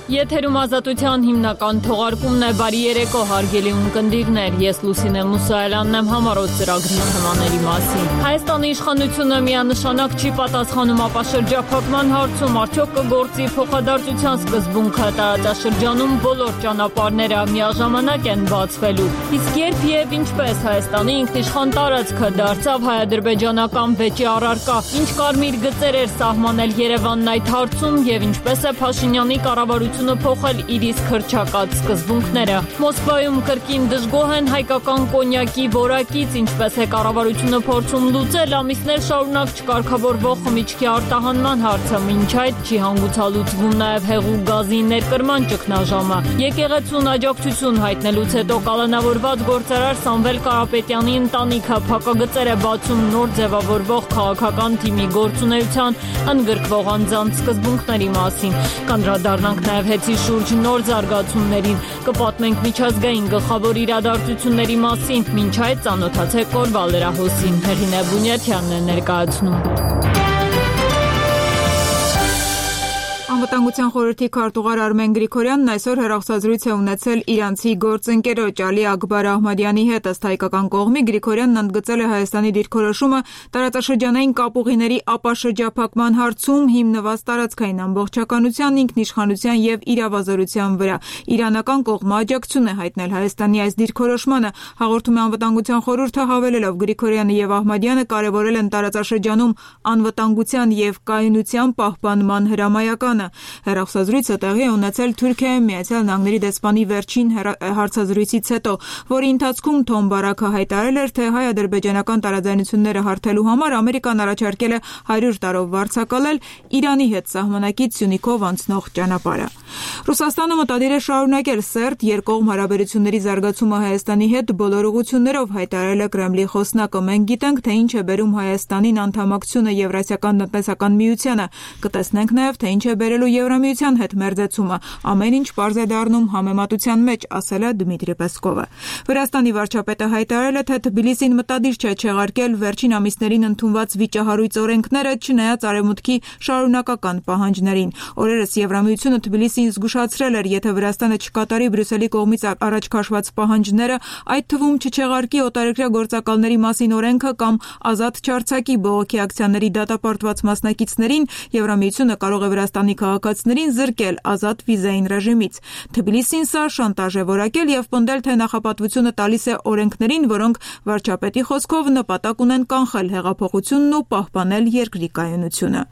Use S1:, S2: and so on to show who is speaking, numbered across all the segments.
S1: Եթերում ազատության հիմնական թողարկումն է։ Բարի երեկո, հարգելի ունկնդիրներ, ես Լուսինե Մուսայելյանն եմ համառոտ ծրագրի թեմաների մասին։ Հայաստանի իշխանությունը միանշանակ չի պատասխանում ապաշրջափակման հարցում, արդյոք կգործի փոխադարձության սկզբունքը, տարածաշրջանում բոլոր ճանապարհները միաժամանակ են բացվելու։ Իսկ երբ եւ ինչպես Հայաստանի ինքնիշխան տարածքը դարձավ հայ-ադրբեջանական վեճի առարկա, ինչ կարմիր գծեր էր սահմանել Երևանն այդ հարցում եւ ինչպես է Փաշինյանի կառավարությունը փոխել իր իսկ հռչակած սկզբունքները։ Մոսկվայում կրկին դժգոհ են հայկական կոնյակի որակից, ինչպես է կառավարությունը փորձում լուծել ամիսներ շարունակ չկարգավորվող խմիչքի արտահանման հարցը, մինչ այդ չի հանգուցալուծվում նաև հեղուկ գազի ներկրման ճգնաժամը։ Եկեղեցուն աջակցություն հայտնելուց հետո կալանավորված գործարար Սամվել Կարապետյանի ընտանիքը փակագծեր է բացում նոր ձևավորվող քաղաքական թիմի գործունեության ընդգրկվող անձանց սկզբունքների մասին։ Կանդրադառնանք նաև հեծի շուրջ նոր զարգացումներին, կպատմենք միջազգային գլխավոր իրադարձությունների մասին, մինչ այդ ծանոթացեք օրվա լրահոսին։ Հեղինե Բունյաթյանն է ներկայացնում։
S2: Անվտանգության խորհրդի քարտուղար Արմեն Գրիգորյանն այսօր հեռախոսազրույց է ունեցել իրանցի գործընկերոջ Ալի Աքբար Ահմադյանի հետ։ Ըստ հայկական կողմի Գրիգորյանն ընդգծել է Հայաստանի դիրքորոշումը տարածաշրջանային կապուղիների ապաշրջափակման հարցում հիմնված տարածքային ամբողջականության, ինքնիշխանության եւ իրավազորության վրա։ Իրանական կողմը աջակցություն է հայտնել Հայաստանի այս դիրքորոշմանը։ Հաղորդում է Անվտանգության խորհուրդը, հավելելով Գրիգորյանը եւ Ահմադյանը կարեւորել են տարածաշրջանում անվտանգության եւ կայունության պահպանման հրամայականը։ Հեռախոսազրույցը տեղի է ունեցել Թուրքիայում Միացյալ Նահանգների դեսպանի վերջին հարցազրույցից հետո, որի ընթացքում Թոմ Բարաքը հայտարարել էր, թե հայ-ադրբեջանական տարաձայնությունները հարթելու համար Ամերիկան առաջարկել է 100 տարով վարձակալել Իրանի հետ սահմանակից Սյունիքով անցնող ճանապարհը։ Ռուսաստանը մտադիր է շարունակել սերտ երկկողմ հարաբերությունների զարգացումը Հայաստանի հետ բոլոր ուղղություններով, հայտարարել է Կրեմլի խոսնակը։ Մենք գիտենք, թե ինչ է բերում Հայաստանին անդամակցությունը Եվրասիական տնտեսական միությանը, կտեսնենք նաև, թե ինչ է բերելու Եվրամիության հետ մերձեցումը։ Ամեն ինչ պարզ է դառնում համեմատության մեջ, ասել է Դմիտրի Պեսկովը։ Վրաստանի վարչապետը հայտարարել է, թե Թբիլիսին մտադիր չէ չեղարկել վերջին ամիսներին ընդունված վիճահարույց օրենքները, չնայած Արևմուտքի շարունակական պահանջներին։ Օրերս Եվրամիությունը Թբիլիսին զգուշացրել էր, եթե Վրաստանը չկատարի Բրյուսելի կողմից առաջ քաշված պահանջները, այդ թվում չչեղարկի օտարերկրյա գործակալների մասին օրենքը կամ ազատ չարձակի բողոքի ակցիաների դատապարտված մասնակիցներին, Եվրամիությունը կարող է Վրաստանի քաղաքացիներին զրկել ազատ վիզային ռեժիմից։ Թբիլիսին սա շանտաժ է որակել եւ պնդել, թե նախապատվությունը տալիս է օրենքներին, որոնք վարչապետի խոսքով նպատակ ունեն կանխել հեղափոխությունն ու պահպանել երկրի կայունությունը։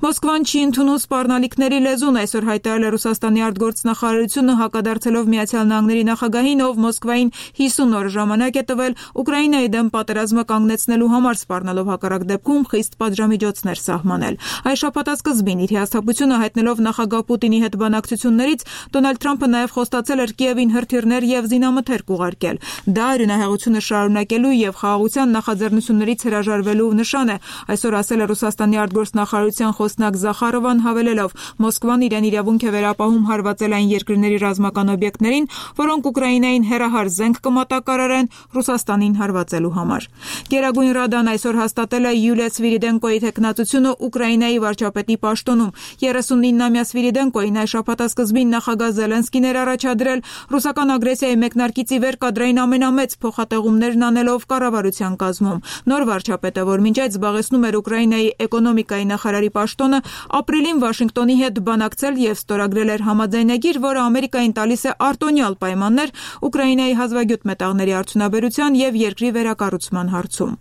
S2: Մոսկվան չի ընդունում սպառնալիքների լեզուն, այսօր հայտարարել է Ռուսաստանի արտգործնախարարությունը, հակադարձելով Միացյալ Նահանգների նախագահին, ով Մոսկվային 50 օր ժամանակ է տվել Ուկրաինայի դեմ պատերազմը կանգնեցնելու համար, սպառնալով հակառակ դեպքում խիստ պատժամիջոցներ սահմանել։ Այս շաբաթ սկզբին իր հաստատությունը հայտնելով նախագահ Պուտինի հետ բանակցություններից, Դոնալդ Թրամփը նաև խոստացել էր Կիևին հրթիռներ եւ զինամթերք ուղարկել։ Դա արյունահեղությունը շարունակելու եւ խաղաղության նախաձեռնություններից հրաժարվելու նշան է, այսօր ասել է Ռուսաստանի արտգործնախարարության խոսնակ Զախարովան, հավելելով. Մոսկվան իրեն իրավունք է վերապահում հարվածել այն երկրների ռազմական օբյեկտներին, որոնք Ուկրաինային հերահար զենք կմատակարարեն Ռուսաստանին հարվածելու համար։ Գերագույն Ռադան այսօր հաստատել է Յուլիա Սվիրիդենկոյի թեկնածությունը Ուկրաինայի վարչապետի պաշտոնում։ 39-ամյա Սվիրիդենկոյին այս շաբաթասկզբին նախագահ Զելենսկին էր առաջադրել ռուսական ագրեսիայի մեկնարկից ի վեր կադրային ամենամեծ փոխատեղումներն անելով կառավարության կազմում։ Նոր վարչապետը, որ մինչ այդ զբաղեցնում էր Ուկրաինայի էկոնոմիկայի նախարարի պաշտոնը, ապրիլին Վաշինգտոնի հետ բանակցել եւ ստորագրել էր համաձայնագիր, որը Ամերիկային տալիս է արտոնյալ պայմաններ Ուկրաինայի հազվագյուտ մետաղների արդյունաբերության եւ երկրի վերակառուցման հարցում։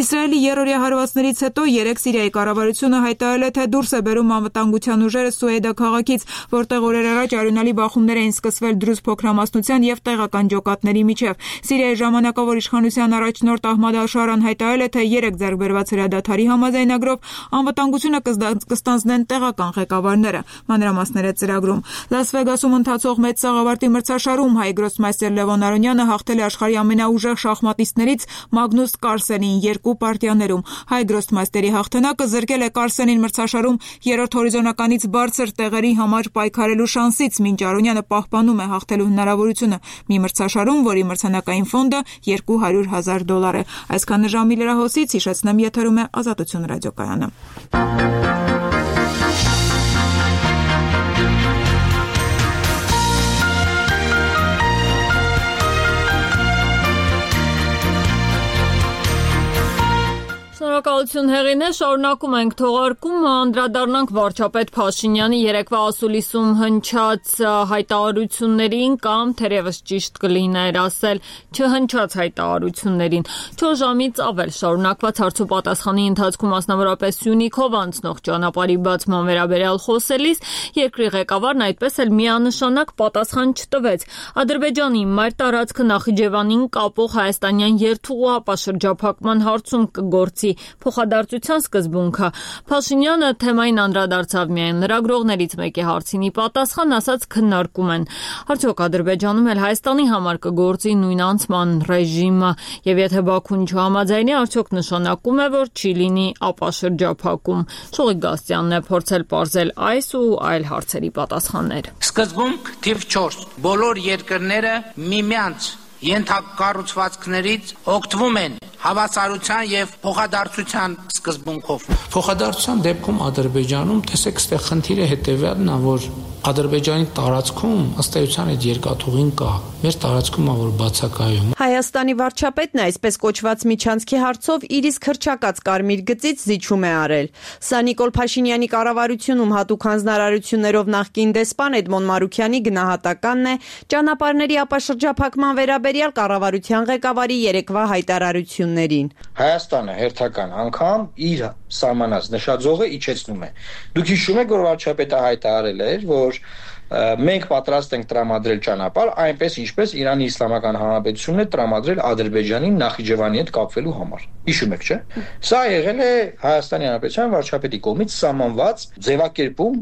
S2: Իսրայելի երրորդյա հարվածներից հետո 3 Սիրիայի կառավարությունը հայտարարել է, թե դուրս է բերում անվտանգության ուժերը Սուեդա քաղաքից, որտեղ օրեր առաջ արյունալի բախումներ էին սկսվել դրուզ փոքրամասնության եւ տեղական ջոկատների միջև։ Սիրիայի ժամանակավոր իշխանության առաջնորդ Ահմադ Ալ-Շարան հայտարարել է, թե 3 ձեռքբերված հրադադարի համաձայնագրով անվտանգությունը կստանձնեն տեղական ղեկավարները։ Մանրամասները ծրագրում։ Լաս Վեգասում ընթացող մեծ սաղավարտի մրցաշարում հայ գրոսմայստեր Լևոն Արոնյանը հաղթել է աշխարհի ամենաուժեղ շախմատիստներից Մագնուս Կարլսենին 2 պարտիաներում։ Հայ գրոսմայստերի հաղթանակը զրկել է Կարլսենին մրցաշարում երրորդ հորիզոնականից բարձր տեղերի համար պայքարելու շանսից, մինչ Արոնյանը պահպանում է հաղթելու հնարավորությունը մի մրցաշարում, որի մրցանակային ֆոնդը $200,000 է։ Այսքան ժամի լրահոսից հիշեցնեմ, եթերում է Ազատություն ռադիոկայանը։
S1: Շնորհակալություն Հեղինե, շարունակում ենք թողարկումը, անդրադառնանք վարչապետ Փաշինյանի երեկվա ասուլիսում հնչած հայտարարություններին կամ թերևս ճիշտ կլիներ ասել չհնչած հայտարարություններին։ 4 ժամից ավել շարունակված հարցոպատասխանի ընթացքում մասնավորապես Սյունիքով անցնող ճանապարհի բացման վերաբերյալ խոսելիս երկրի ղեկավարն այդպես էլ միանշանակ պատասխան չտվեց։ Ադրբեջանի մայր տարածքը Նախիջևանին կապող հայաստանյան երթուղու ապաշրջափակման հարցում կգործի փոխադարձության սկզբունքը։ Փաշինյանը թեմային անդրադարձավ միայն լրագրողներից մեկի հարցին ի պատասխան ասաց քննարկում են։ Արդյոք Ադրբեջանում էլ Հայաստանի համար կգործի նույն անցման ռեժիմը եւ եթե Բաքուն չհամաձայնի, արդյոք նշանակում է, որ չի լինի ապաշրջափակում։ Շուղիկ Գաստյանն է փորձել պարզել այս ու այլ հարցերի պատասխաններ։
S3: Սկզբունք թիվ 4. Բոլոր երկրները միմյանց ենթակառուցվածքներից օգտվում են հավասարության եւ փոխադարձության սկզբունքով։
S4: Փոխադարձության դեպքում Ադրբեջանում տեսեք, այստեղ խնդիրը հետեւյալն է, որ Ադրբեջանի տարածքում ըստ էության այդ երկաթուղին կա։ Մեր տարածքում ա որ բացակայում։
S5: Հայաստանի վարչապետն այսպես կոչված միջանցքի հարցով իր իսկ հռչակած կարմիր գծից զիջում է արել։ Սա Նիկոլ Փաշինյանի կառավարությունում հատուկ հանձնարարություններով նախկին դեսպան Էդմոն Մարուքյանի գնահատականն է ճանապարհների ապաշրջափակման վերաբերյալ կառավարության ղեկավարի երեկվա հայտարարություններին։
S6: Հայաստանը հերթական անգամ իր սահմանած նշաձողը իջեցնում է։ Դուք հիշում եք, որ վարչապետը հայտարարել էր, որ մենք պատրաստ ենք տրամադրել ճանապարհ, այնպես ինչպես Իրանի Իսլամական Հանրապետությունն է տրամադրել Ադրբեջանին Նախիջևանի հետ կապվելու համար։ Հիշում եք, չէ՞։ Սա եղել է Հայաստանի Հանրապետության վարչապետի կողմից սահմանված ձևակերպում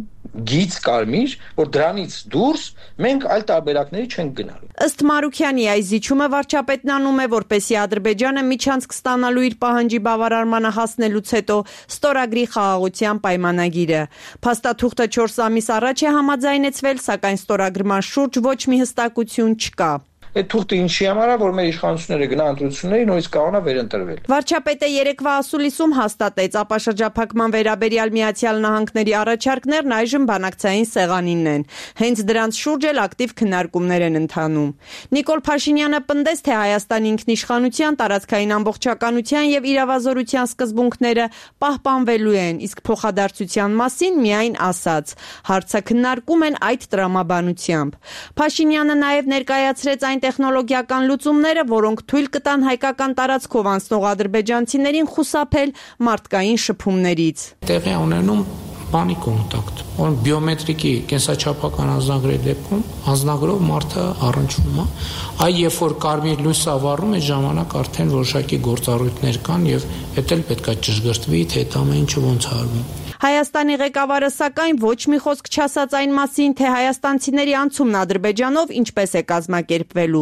S6: գիծ կարմիր, որ դրանից դուրս մենք այլ տարբերակների չենք գնալու։
S5: Ըստ Մարուքյանի այս զիջումը վարչապետն անում է, որպեսզի Ադրբեջանը միջանցք ստանալու իր պահանջի բավարարմանը հասնելուց հետո ստորագրի խաղաղության պայմանագիրը։ Փաստաթուղթը 4 ամիս առաջ է համաձայնեցվել, սակայն ստորագրման շուրջ ոչ մի հստակություն չկա։
S6: Այդ թուղթը ինչի համար է, որ մեր իշխանությունները գնան ընտրությունների, նույնիսկ կանոնը վերընտրվել։
S5: Վարչապետը երեկվա ասուլիսում հաստատեց ապաշրջափակման վերաբերյալ Միացյալ Նահանգների առաջարկներն այժմ բանակցային սեղանինն են։ Հենց դրանց շուրջ էլ ակտիվ քննարկումներ են ընթանում։ Նիկոլ Փաշինյանը պնդեց, թե Հայաստանի ինքնիշխանության, տարածքային ամբողջականության եւ իրավազորության սկզբունքները պահպանվելու են, իսկ փոխադարձության մասին միայն ասաց։ Հարցը քննարկում են այդ տրամաբանությամբ։ Փաշինյանը նաեւ ներկայացրեց այն տեխնոլոգիական լուծումները, որոնք թույլ կտան հայկական տարածքով անցնող ադրբեջանցիներին խուսափել մարդկային շփումներից։
S4: Տեղի ունենում բանի կոնտակտ, որ բիոմետրիկի կենսաչափական անձնագրերի դեպքում անձնագրով մարդը առնչվում է, այ երբ որ կարմիր լույսը վառում է ժամանակ արդեն որոշակի գործառույթներ կան եւ դա էլ պետք է ճշգրտվի, թե դա ամեն ինչը ոնց արվում։
S5: Հայաստանի ղեկավարը սակայն ոչ մի խոսք չասաց այն մասին, թե հայաստանցիների անցումն Ադրբեջանով ինչպես է կազմակերպվելու։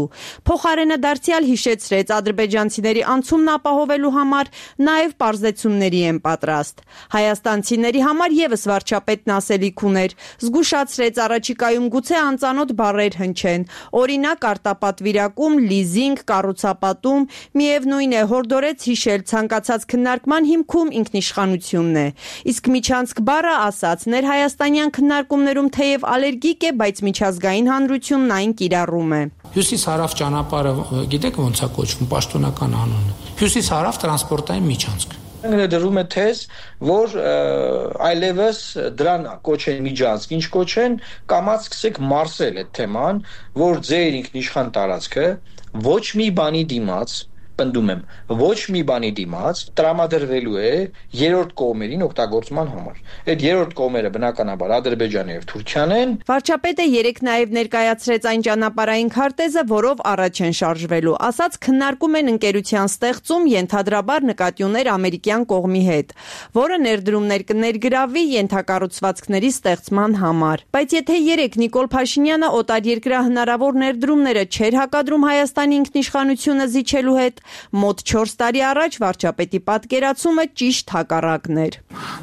S5: Փոխարենը դարձյալ հիշեցրեց ադրբեջանցիների անցումն ապահովելու համար նաև պարզեցումների են պատրաստ։ Հայաստանցիների համար եւս վարչապետն ասելիք ուներ, զգուշացրեց առաջիկայում գուցե անծանոթ բառեր հնչեն, օրինակ արտապատվիրակում, լիզինգ, կառուցապատում, միևնույն է հորդորեց հիշել ցանկացած քննարկման հիմքում ինքնիշխանությունն է։ Իսկ միջանցք բառը ասաց ներհայաստանյան քննարկումներում թեև ալերգիկ է, բայց միջազգային հանրությունն այն կիրառում է։
S4: Հյուսիս-հարավ ճանապարհը գիտեք ոնց է կոչվում պաշտոնական անունը։ Հյուսիս-հարավ տրանսպորտային միջանցք։
S6: Դրվում է թեզ, որ այլևս դրան կոչեն միջանցք, ինչ կոչեն, կամած սկսեք մարսել այդ թեման, որ ձեր ինքնիշխան տարածքը ոչ մի բանի դիմաց, պնդում եմ, ոչ մի բանի դիմաց տրամադրվելու է երրորդ կողմերին օգտագործման համար։ Այդ երրորդ կողմերը բնականաբար Ադրբեջանը եւ Թուրքիան են։
S5: Վարչապետը երեկ նաեւ ներկայացրեց այն ճանապարհային քարտեզը, որով առաջ են շարժվելու, ասաց քննարկում են ընկերության ստեղծում ենթադրաբար նկատի ուներ ամերիկյան կողմի հետ, որը ներդրումներ կներգրավի ենթակառուցվածքների ստեղծման համար։ Բայց եթե երեկ Նիկոլ Փաշինյանը օտարերկրյա հնարավոր ներդրումները չէր հակադրում Հայաստանի ինքնիշխանությունը զիջելու հետ, մոտ 4 տարի առաջ վարչապետի պատկերացումը ճիշտ հակառակն էր։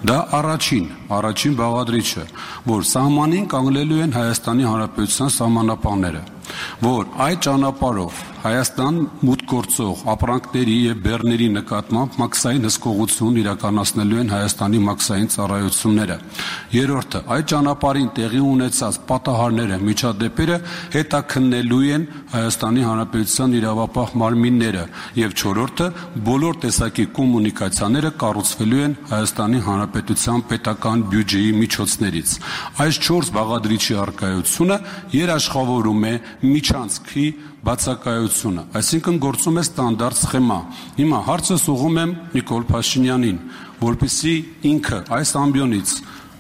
S7: Դա առաջին բաղադրիչը, որ սահմանին կանգնելու են Հայաստանի Հանրապետության սահմանապահները, որ այդ ճանապարհով Հայաստան մուտք գործող ապրանքների եւ բեռների նկատմամբ մաքսային հսկողություն իրականացնելու են Հայաստանի մաքսային ծառայությունները։ Երրորդը, այդ ճանապարհին տեղի ունեցած պատահարները, միջադեպերը հետաքննելու են Հայաստանի Հանրապետության իրավապահ մարմինները եւ չորրորդը, բոլոր տեսակի կոմունիկացիաները կառուցվելու են Հայաստանի Հանրապետության պետական բյուջեի միջոցներից։ Այս 4 բաղադրիչի արկայությունը երաշխավորում է միջանցքի բացակայությունը, այսինքն գործում է ստանդարտ սխեմա։ Հիմա հարցս ուղղում եմ Նիկոլ Փաշինյանին, որպեսզի ինքը այս ամբիոնից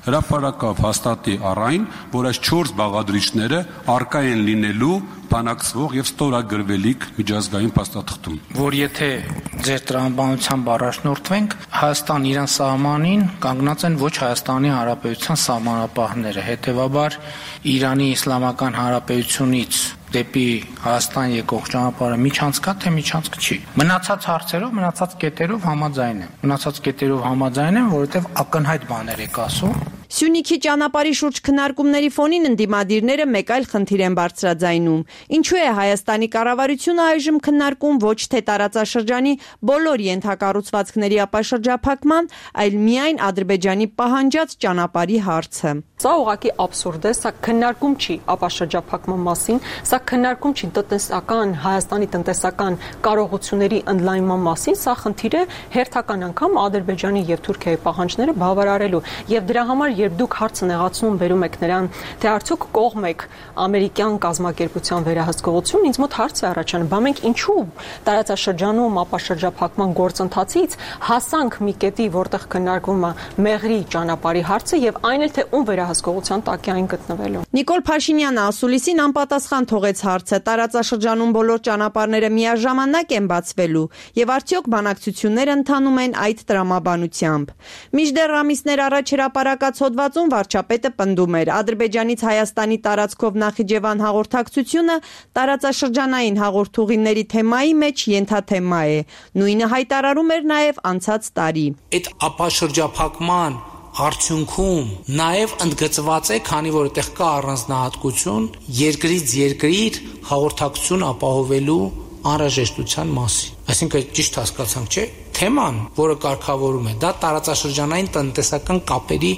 S7: հրապարակավ հաստատի առայն, որ այս 4 բաղադրիչները արկա են լինելու բանակցվող եւ ստորագրվելիք միջազգային փաստաթղթում։
S3: Որ եթե ձեր տրամաբանությամբ առաջնորդվենք, Հայաստան իրան սահմանին կանգնած են ոչ Հայաստանի Հանրապետության սահմանապահները, հետեւաբար Իրանի Իսլամական Հանրապետությունից դեպի Հայաստան եկող ճանապարհը միջանցք է, թե միջանցք չի։ Մնացած հարցերով, մնացած կետերով համաձայն եմ, որովհետև ակնհայտ բաներ եք ասում։
S5: Սյունիքի ճանապարհի շուրջ քննարկումների ֆոնին ընդդիմադիրները մեկ այլ խնդիր են բարձրաձայնում։ Ինչու է Հայաստանի կառավարությունը այժմ քննարկում ոչ թե տարածաշրջանի բոլոր ենթակառուցվածքների ապաշրջափակման, այլ միայն Ադրբեջանի պահանջած ճանապարհի հարցը։
S8: Սա ուղղակի աբսուրդ է, սա քննարկում չի ապաշրջափակման մասին, սա քննարկում չի Հայաստանի տնտեսական կարողությունների ընդլայնման մասին, սա խնդիր է հերթական անգամ Ադրբեջանի եւ Թուրքիայի պահանջները բավարարելու։ Եվ դրա համար երբ դուք հարցը նեղացնում վերում եք նրան, թե արդյոք կողմ եք ամերիկյան կազմակերպության վերահսկողություն, ինձ մոտ հարց է առաջանում, բա մենք ինչու տարածաշրջանում ապաշրջափակման գործընթացից հասանք մի կետի, որտեղ քննարկվում է Մեղրի ճանապարհի հարցը եւ այն էլ թե ում վերահսկողության տակ է այն գտնվելու։
S5: Նիկոլ Փաշինյանը ասուլիսին անպատասխան թողեց հարցը, տարածաշրջանում բոլոր ճանապարհները միաժամանակ են բացվելու եւ արդյոք բանակցությունները ընթանում են այդ տրամաբանությամբ։ Մինչդեռ ամիսներ առաջ հրապարակած հոդվածում վարչապետը պնդում էր, Ադրբեջանից Հայաստանի տարածքով Նախիջևան հաղորդակցությունը տարածաշրջանային հաղորդուղիների թեմայի մեջ ենթաթեմա է։ Նույնը հայտարարում էր նաև անցած տարի։
S4: Այդ ապաշրջափակման արդյունքում նաև ընդգծված է, քանի որ այդտեղ կա առանձնահատկություն երկրից երկիր հաղորդակցություն ապահովելու անհրաժեշտության մասին։ Այսինքն ճիշտ հասկացանք, չէ՞։ Թեման, որը կարգավորում է, դա տարածաշրջանային տնտեսական կապերի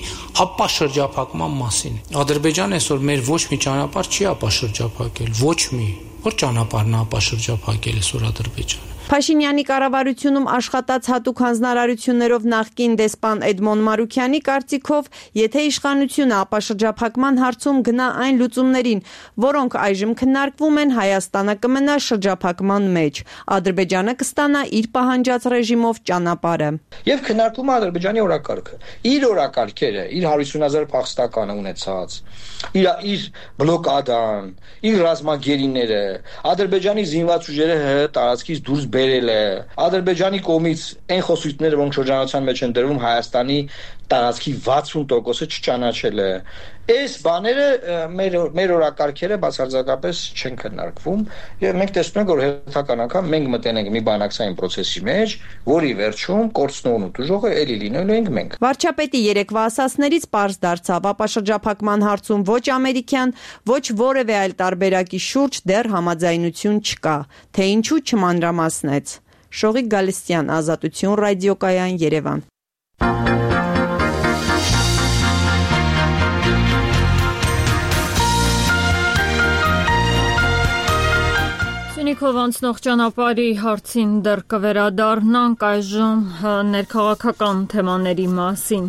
S4: ապաշրջափակման մասին է։ Ադրբեջանը այսօր մեր ոչ մի ճանապարհ չի ապաշրջափակել, ոչ մի։ Որ ճանապարհն է ապաշրջափակել այսօր Ադրբեջանը։
S5: Փաշինյանի կառավարությունում աշխատած հատուկ հանձնարարություններով նախկին դեսպան Էդմոն Մարուքյանի կարծիքով, եթե իշխանությունը ապաշրջափակման հարցում գնա այն լուծումներին, որոնք այժմ քննարկվում են, Հայաստանը կմնա շրջափակման մեջ, Ադրբեջանը կստանա իր պահանջած ռեժիմով ճանապարհը։
S6: Եվ քննարկվում է Ադրբեջանի օրակարգը, իր օրակարգերը, իր 150,000 փախստականը ունեցած, իր բլոկադան, իր ռազմագերիները, Ադրբեջանի զինված ուժերը տարածքից դուրս բերել է, Ադրբեջանի կողմից այն խոսույթները, որոնք շրջանառության մեջ են դրվում, Հայաստանի տարածքի 60%-ը չճանաչել է։ Այս բաները մեր օրակարգերը բացարձակապես չեն քննարկվում եւ մենք տեսնում ենք, որ հերթական անգամ մենք մտենք մի բանակցային process-ի մեջ, որի վերջում կորցնողն ու դժողը էլի լինելու ենք մենք։
S5: Վարչապետի երեկվա ասացներից պարզ դարձավ, ապաշրջափակման հարցում ոչ ամերիկյան, ոչ որևէ այլ տարբերակի շուրջ դեռ համաձայնություն չկա, թե ինչու չմանրամասնեց։ Շողիկ Գալստյան, Ազատություն ռադիոկայան, Երևան։
S1: Սյունիքով անցնող ճանապարհի հարցին դեռ կվերադառնանք, այժմ ներքաղաքական թեմաների մասին։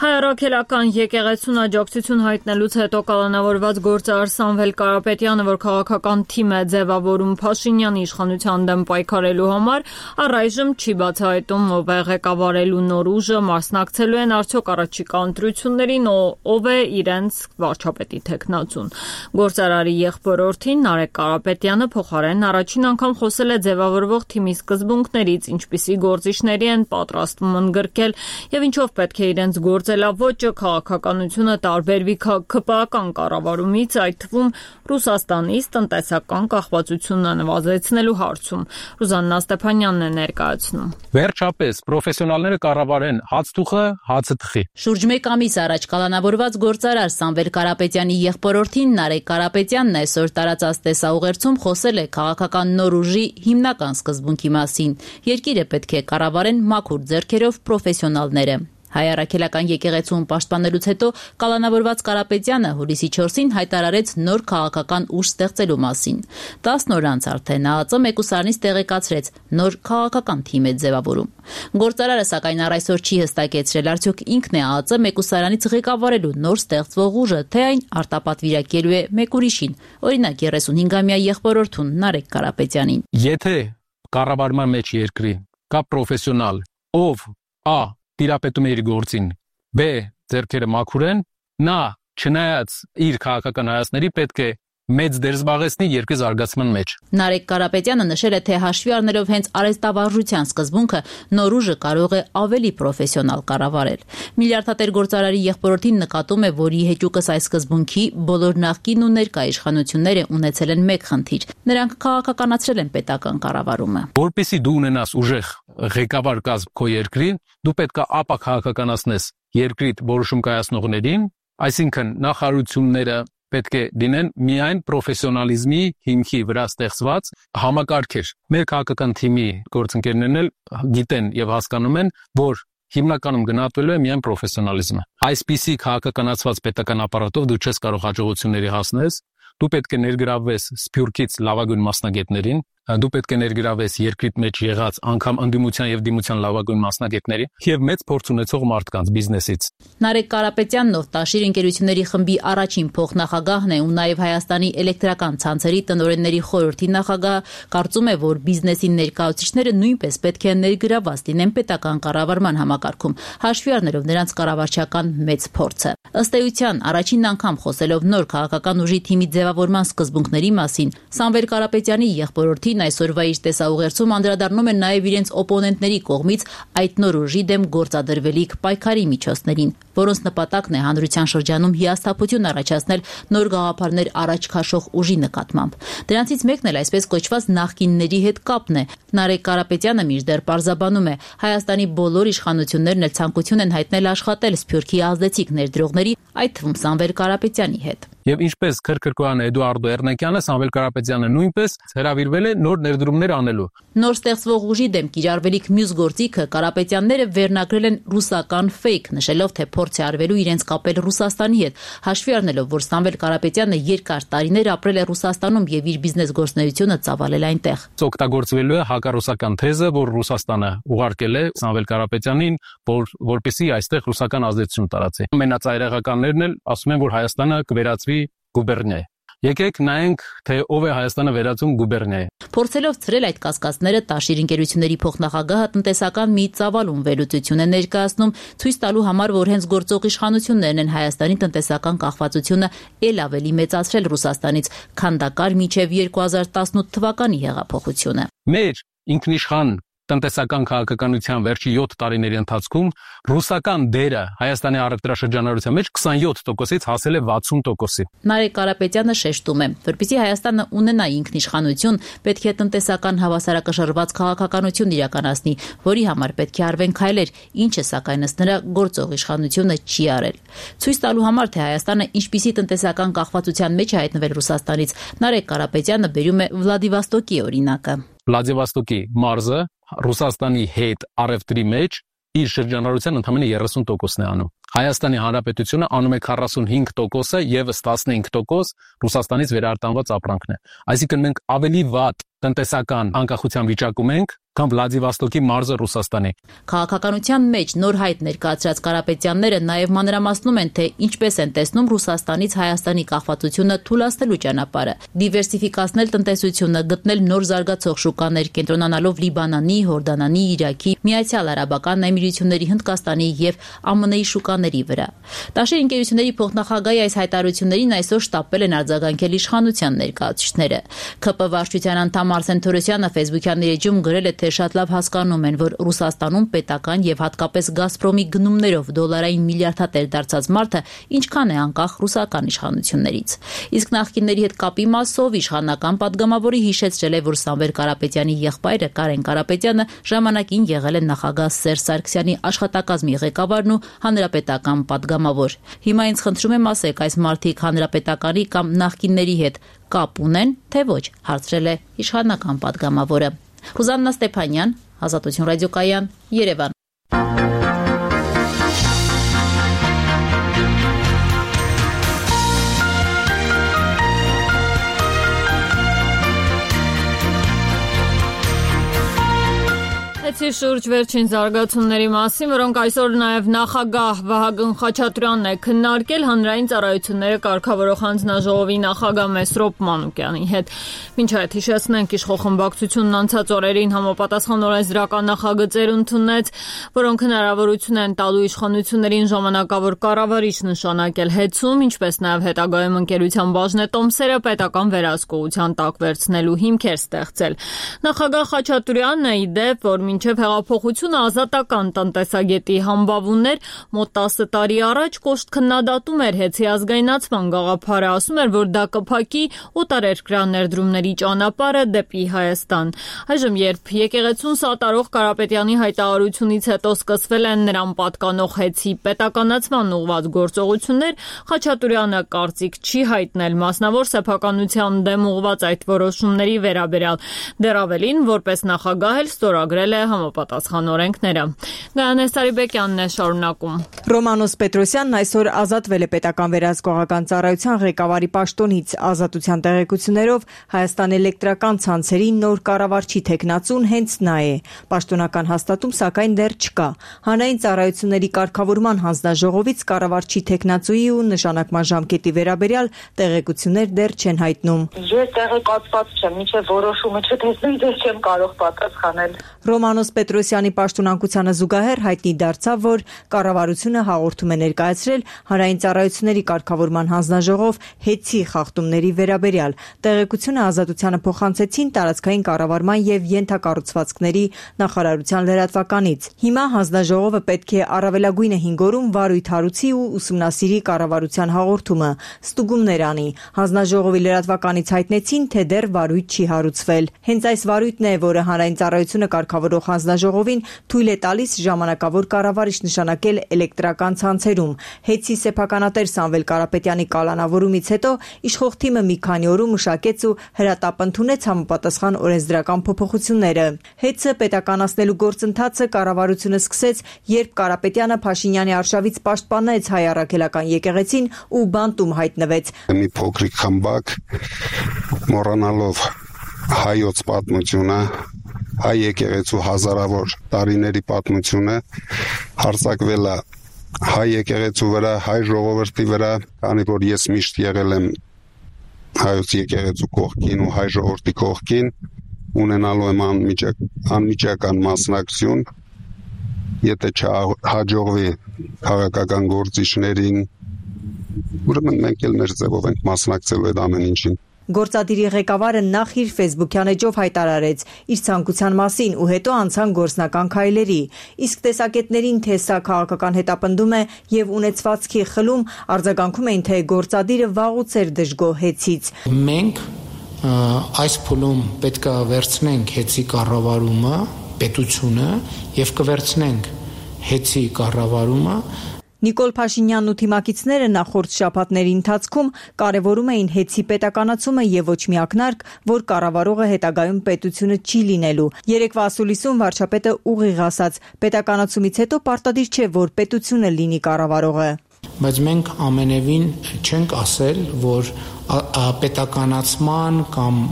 S1: Հայ-առաքելական եկեղեցուն աջակցություն հայտնելուց հետո կալանավորված գործարար Սամվել Կարապետյանը, որ քաղաքական թիմ է ձևավորում Փաշինյանի իշխանության դեմ պայքարելու համար, առայժմ չի բացահայտում ով է ղեկավարելու նոր ուժը, մասնակցելու են արդյոք առաջիկա ընտրություններին, ով է իրենց վարչապետի թեկնածուն։ Գործարարի եղբորորդին Նարեկ Կարապետյանը փոխարեն առաջին անգամ խոսել է ձևավորվող թիմի սկզբունքներից, ինչպիսի գործիչների են պատրաստվում ընդգրկել եւ ինչով պետք է իրենց գործ գործելավոճը քաղաքականությունը տարբերվի ՔՊԱ-ական կառավարումից, այդ թվում Ռուսաստանից տնտեսական կախվածությունը նվազեցնելու հարցում։ Ռուզաննա Ստեփանյանն է ներկայացնում։
S9: Վերջապես պրոֆեսիոնալները կառավարեն հացթուխը, հացը թխի։
S10: Շուրջ 1 ամիս առաջ կալանավորված գործարար Սամվել Կարապետյանի եղբորորդին Նարեկ Կարապետյանն այսօր տարածած տեսաուղերձում խոսել է քաղաքական նոր ուժի հիմնական սկզբունքի մասին։ Երկիրը պետք է կառավարեն մաքուր ձեռքերով պրոֆեսիոնալները։ Հայ առաքելական եկեղեցում պաշտպանելուց հետո կալանավորված Կարապետյանը հուլիսի 4-ին հայտարարեց նոր քաղաքական ուժ ստեղծելու մասին։ 10 օր անց արդեն ԱԱԾ մեկուսարանից տեղեկացրեց նոր քաղաքական թիմ է ձևավորում։ Գործարարը սակայն առ այսօր չի հստակեցրել արդյոք ինքն է ԱԱԾ մեկուսարանից ղեկավարելու նոր ստեղծվող ուժը, թե այն արտապատվիրակելու է մեկ ուրիշին, օրինակ 35-ամյա եղբորորդուն Նարեկ Կարապետյանին։
S9: Եթե կառավարման մեջ երկրի կա պրոֆեսիոնալ, ով տիրապետում է իր գործին, բ. ձեռքերը մաքուր են, նա չնայած իր քաղաքական հայացքների պետք է մեծ դեր զբաղեցնի երկրի զարգացման մեջ։
S10: Նարեկ Կարապետյանը նշել է, թե հաշվի առնելով հենց արհեստավարժության սկզբունքը, նոր ուժը կարող է ավելի պրոֆեսիոնալ կառավարել։ Միլիարդատեր գործարարի եղբորորդին նկատում է, որ ի հեճուկս այս սկզբունքի բոլոր նախկին ու ներկա իշխանությունները ունեցել են մեկ խնդիր։ Նրանք քաղաքականացրել են պետական կառավարումը։
S9: Որպեսզի դու ունենաս ուժեղ ղեկավար կազմ քո երկրի, դու պետք է ապա քաղաքականացնես երկրիդ որոշում կայացնողներին, այսինքն նախարարությունները պետք է դինեն միայն պրոֆեսիոնալիզմի հիմքի վրա ստեղծված համակարգեր։ Մեր քաղաքական թիմի գործընկերներն էլ գիտեն եւ հասկանում են, որ հիմնականում գնահատվելու է միայն պրոֆեսիոնալիզմը։ Այսպիսի քաղաքականացված պետական ապարատով դու չես կարող հաջողությունների հասնել, դու պետք է ներգրավվես Սփյուռքից լավագույն մասնագետներին, դու պետք է ներգրավես երկրիդ մեջ եղած անգամ ընդդիմության եւ դիմության լավագույն մասնագետների եւ մեծ փորձ ունեցող մարդկանց բիզնեսից։
S10: Նարեկ Կարապետյանն, ով Տաշիր ընկերությունների խմբի առաջին փոխնախագահն է ու նաեւ Հայաստանի էլեկտրական ցանցերի տնօրենների խորհրդի նախագահ, կարծում է, որ բիզնեսի ներկայացուցիչները նույնպես պետք է ներգրավված լինեն պետական կառավարման համակարգում, հաշվի առնելով նրանց կառավարչական մեծ փորձը։ Ըստ էության, առաջին անգամ խոսելով նոր քաղաքական ուժի թիմի ձևավորման սկզբունքների մասին, Սամվել Կարապետյանի եղբորորդին այսօրվա իր տեսաուղերձում անդրադառնում են նաև իրենց օպոնենտների կողմից այդ նոր ուժի դեմ գործադրվելիք պայքարի միջոցներին, որոնց նպատակն է հանրության շրջանում հիասթափություն առաջացնել նոր գաղափարներ առաջ քաշող ուժի նկատմամբ։ Դրանցից մեկն էլ այսպես կոչված նախկինների հետ կապն է։ Նարեկ Կարապետյանը մինչդեռ պարզաբանում է, Հայաստանի բոլոր իշխանություններն էլ ցանկություն են հայտնել աշխատել Սփյուռքի ազդեցիկ ներդրողների, այդ թվում Սամվել Կարապետյանի հետ։
S9: Եվ ինչպես Քրքրկոյան Էդուարդո Էռնակյանը, Սամվել Կարապետյանը նույնպես հրավիրվել է նոր ներդրումներ անելու։
S10: Նոր ստեղծվող ուժի դեմ կիրառվելիք մյուս գործիքը Կարապետյանները վերնագրել են ռուսական ֆեյք, նշելով, թե փորձ է արվելու իրենց կապել Ռուսաստանի հետ, հաշվի առնելով, որ Սամվել Կարապետյանը երկար տարիներ ապրել է Ռուսաստանում եւ իր բիզնես գործունեությունը ծավալել այնտեղ։
S9: Օգտագործվելու է հակառուսական թեզը, որ Ռուսաստանը ուղարկել է Սամվել Կարապետյանին, որպեսզի այստեղ ռուսական ազդեցություն տարածի։ Ամենածայրահեղականներն էլ ասում են, որ Հայաստանը կվերածվի գուբերնիա։ Եկեք նայենք, թե ով է Հայաստանը վերածում գուբերնիայի։
S10: Փորձելով ցրել այդ կասկածները, Տաշիր ընկերությունների փոխնախագահը տնտեսական մի ծավալուն վերլուծություն է ներկայացնում, ցույց տալու համար, որ հենց գործող իշխանություններն են Հայաստանի տնտեսական կախվածությունը ել ավելի մեծացրել Ռուսաստանից, քանդակար մինչև 2018 թվականի հեղափոխությունը։
S9: Մեր ինքնիշխան տնտեսական քաղաքականության վերջի 7 տարիների ընթացքում ռուսական դերը Հայաստանի առևտրաշրջանառության մեջ 27%-ից հասել է 60%-ի։
S10: Նարեկ Կարապետյանը շեշտում է, որպեսզի Հայաստանը ունենա ինքնիշխանություն, պետք է տնտեսական հավասարակշռված քաղաքականություն իրականացնի, որի համար պետք է արվեն քայլեր, ինչը սակայն ըստ նրա գործող իշխանությունը չի արել։ Ցույց տալու համար, թե Հայաստանը ինչպիսի տնտեսական կախվածության մեջ է հայտնվել Ռուսաստանից, Նարեկ Կարապետյանը բերում է Վլադիվոստոկի օրինակը։
S9: Վլադիվոստոկի մարզը Ռուսաստանի հետ առևտրի մեջ իր շրջանառության ընդամենը 30%-ն է անում։ Հայաստանի Հանրապետությունը անում է 45%-ը եւս 15% Ռուսաստանից վերարտանված ապրանքն է։ Այսինքն մենք ավելի վատ տնտեսական անկախության վիճակում ենք, քան Վլադիվոստոկի մարզը Ռուսաստանի։
S10: Քաղաքականության մեջ նոր հայտ ներկայացրած Կարապետյանները նաև մանրամասնում են, թե ինչպես են տեսնում Ռուսաստանից Հայաստանի կախվածությունը թուլացնելու ճանապարհը, դիվերսիֆիկացնել տնտեսությունը, գտնել նոր զարգացող շուկաներ, կենտրոնանալով Լիբանանի, Հորդանանի, Իրաքի, Միացյալ Արաբական Էմիրությունների, Հնդկաստանի եւ ԱՄՆ-ի շուկաների վրա։ Տաշիր ընկերությունների փոխնախագահի այս հայտարարություններին այսօր շտապել են արձագանքել իշխանության ներկայացուցիչները։ ՔՊ վարչության անդամ Արսեն Թորոսյանը Facebook-յան իր էջում գրել է, թե շատ լավ հասկանում են, որ Ռուսաստանում պետական եւ հատկապես Գազպրոմի գնումներով դոլարային միլիարդատեր դարձած մարդը ինչքան է անկախ ռուսական իշխանություններից։ Իսկ նախկինների հետ կապի մասով իշխանական падգամավորի հիշեցրել է, որ Սամվել Կարապետյանի եղբայրը Կարեն Կարապետյանը ժամանակին եղել է նախագահ Սերժ Սարգսյանի աշխատակազմի ղեկավարն ու հանրապետական падգամավոր։ Հիմա ինձ խնդրում եմ ասեք, այս մարդիկ հանրապետականի կամ նախկինների հետ կապ ունեն, թե ոչ, հարցրել է իշխանական падգամավորը։ Ռուզաննա Ստեփանյան, Ազատություն ռադիոկայան, Երևան։
S1: Շուրջ վերջին զարգացումների մասին, որոնք այսօր նաև նախագահ Վահագն Խաչատրյանն է քննարկել հանրային ծառայությունները կարգավորող հանձնաժողովի նախագահ Մեսրոպ Մանուկյանի հետ։ Մինչ այդ հիշեցնենք, իշխող խմբակցությունն անցած օրերին համապատասխան օրենսդրական նախագծեր ընդունեց, որոնք հնարավորություն են տալու իշխանություններին ժամանակավոր կառավարիչ նշանակել հետցում, ինչպես նաև հետագայում ընկերության բաժնետոմսերը պետական վերահսկողության տակ վերցնելու հիմքեր ստեղծել։ Նախագահ Խաչատրյանն է ի դեպ, որ մինչև հեղափոխությունը ազատական տնտեսագետի համբավուններ մոտ 10 տարի առաջ կոշտ քննադատում էր հեծի ազգայնացման գաղափարը, ասում էր, որ դա կփակի օտարերկրյա ներդրումների ճանապարհը դեպի Հայաստան։ Այժմ, երբ եկեղեցուն սատարող Կարապետյանի հայտարարությունից հետո սկսվել են նրան պատկանող հեծի պետականացման ուղղված գործողություններ, Խաչատրյանը կարծիք չի հայտնել մասնավոր սեփականության դեմ ուղղված այդ որոշումների վերաբերյալ։ Դեռ ավելին, որպես նախագահ էլ ստորագրել է համապատասխան օրենքները։ Գայանե Սարիբեկյանն է շարունակում։
S5: Ռոմանոս Պետրոսյանն այսօր ազատվել է պետական վերահսկողական ծառայության ղեկավարի պաշտոնից։ Ազատության տեղեկություններով Հայաստան էլեկտրական ցանցերի նոր կառավարչի թեկնածուն հենց նա է։ Պաշտոնական հաստատում սակայն դեռ չկա։ Հանրային ծառայությունների կարգավորման հանձնաժողովից կառավարչի թեկնածուի ու նշանակման ժամկետի վերաբերյալ տեղեկություններ դեռ չեն հայտնում։
S11: Ես տեղեկացված չեմ, մինչև որոշումը չտեսնեմ, դեռ չեմ կարող պատասխանել։
S5: Ռոմանոս Պետրոսյանի պաշտոնակությանը զուգահեռ հայտնի դարձավ, որ կառավարությունը հաղորդում է ներկայացրել հանրային ծառայությունների կարգավորման հանձնաժողով հեծի խախտումների վերաբերյալ։ Տեղեկությունը Ազատությանը փոխանցեցին տարածքային կառավարման եւ ենթակառուցվածքների նախարարության լրատվականից։ Հիմա հանձնաժողովը պետք է առավելագույնը 5 օրում վարույթ հարուցի ու ուսումնասիրի կառավարության հաղորդումը, ստուգումներ անի։ Հանձնաժողովի լրատվականից հայտնեցին, թե դեռ վարույթ չի հարուցվել։ Հենց այս վարույթն է, որը հանրային ծառայությունը կարգավորող հանձնաժողովին թույլ է տալիս ժամանակավոր կառավարիչ նշանակել էլեկտրական ցանցերում։ Հեծի սեփականատեր Սամվել Կարապետյանի կալանավորումից հետո իշխող թիմը մի քանի օրում մշակեց ու հրատապ ընդունեց համապատասխան օրենսդրական փոփոխությունները։ Հեծը պետականացնելու գործընթացը կառավարությունը սկսեց, երբ Կարապետյանը Փաշինյանի արշավից պաշտպանեց հայ առաքելական եկեղեցին ու բանտում հայտնվեց։
S12: Մի փոքրիկ խմբակ մոռանալով հայոց պատմությունը, հայ եկեղեցու հազարավոր տարիների պատմությունը հարձակվել է հայ եկեղեցու վրա, հայ ժողովրդի վրա, քանի որ ես միշտ եղել եմ հայոց եկեղեցու կողքին ու հայ ժողովրդի կողքին, ունենալու եմ անմիջական մասնակցություն, եթե չհաջողվի քաղաքական գործիչներին, ուրեմն մենք էլ մեր ձևով ենք մասնակցելու այդ ամեն ինչին։
S5: Գործադիրի ղեկավարը նախ իր ֆեյսբուքյան էջով հայտարարեց իր ցանկության մասին ու հետո անցան գործնական քայլերի։ Իսկ տեսակետներին, թե սա քաղաքական հետապնդում է եւ ունեցվածքի խլում, արձագանքում էին, թե գործադիրը վաղուց էր դժգոհ հեծից։
S4: Մենք այս փուլում պետք է վերցնենք հեծի կառավարումը, պետությունը եւ կվերցնենք հեծի կառավարումը։
S5: Նիկոլ Փաշինյանն ու թիմակիցները նախորդ շաբաթների ընթացքում կարևորում էին հեծի պետականացումը եւ ոչ մի ակնարկ, որ կառավարողը հետագայում պետությունը չի լինելու։ Երեկվա ասուլիսում վարչապետը ուղիղ ասաց, պետականացումից հետո պարտադիր չէ, որ պետությունը լինի կառավարողը։
S4: Բայց մենք ամենևին չենք ասել, որ պետականացման կամ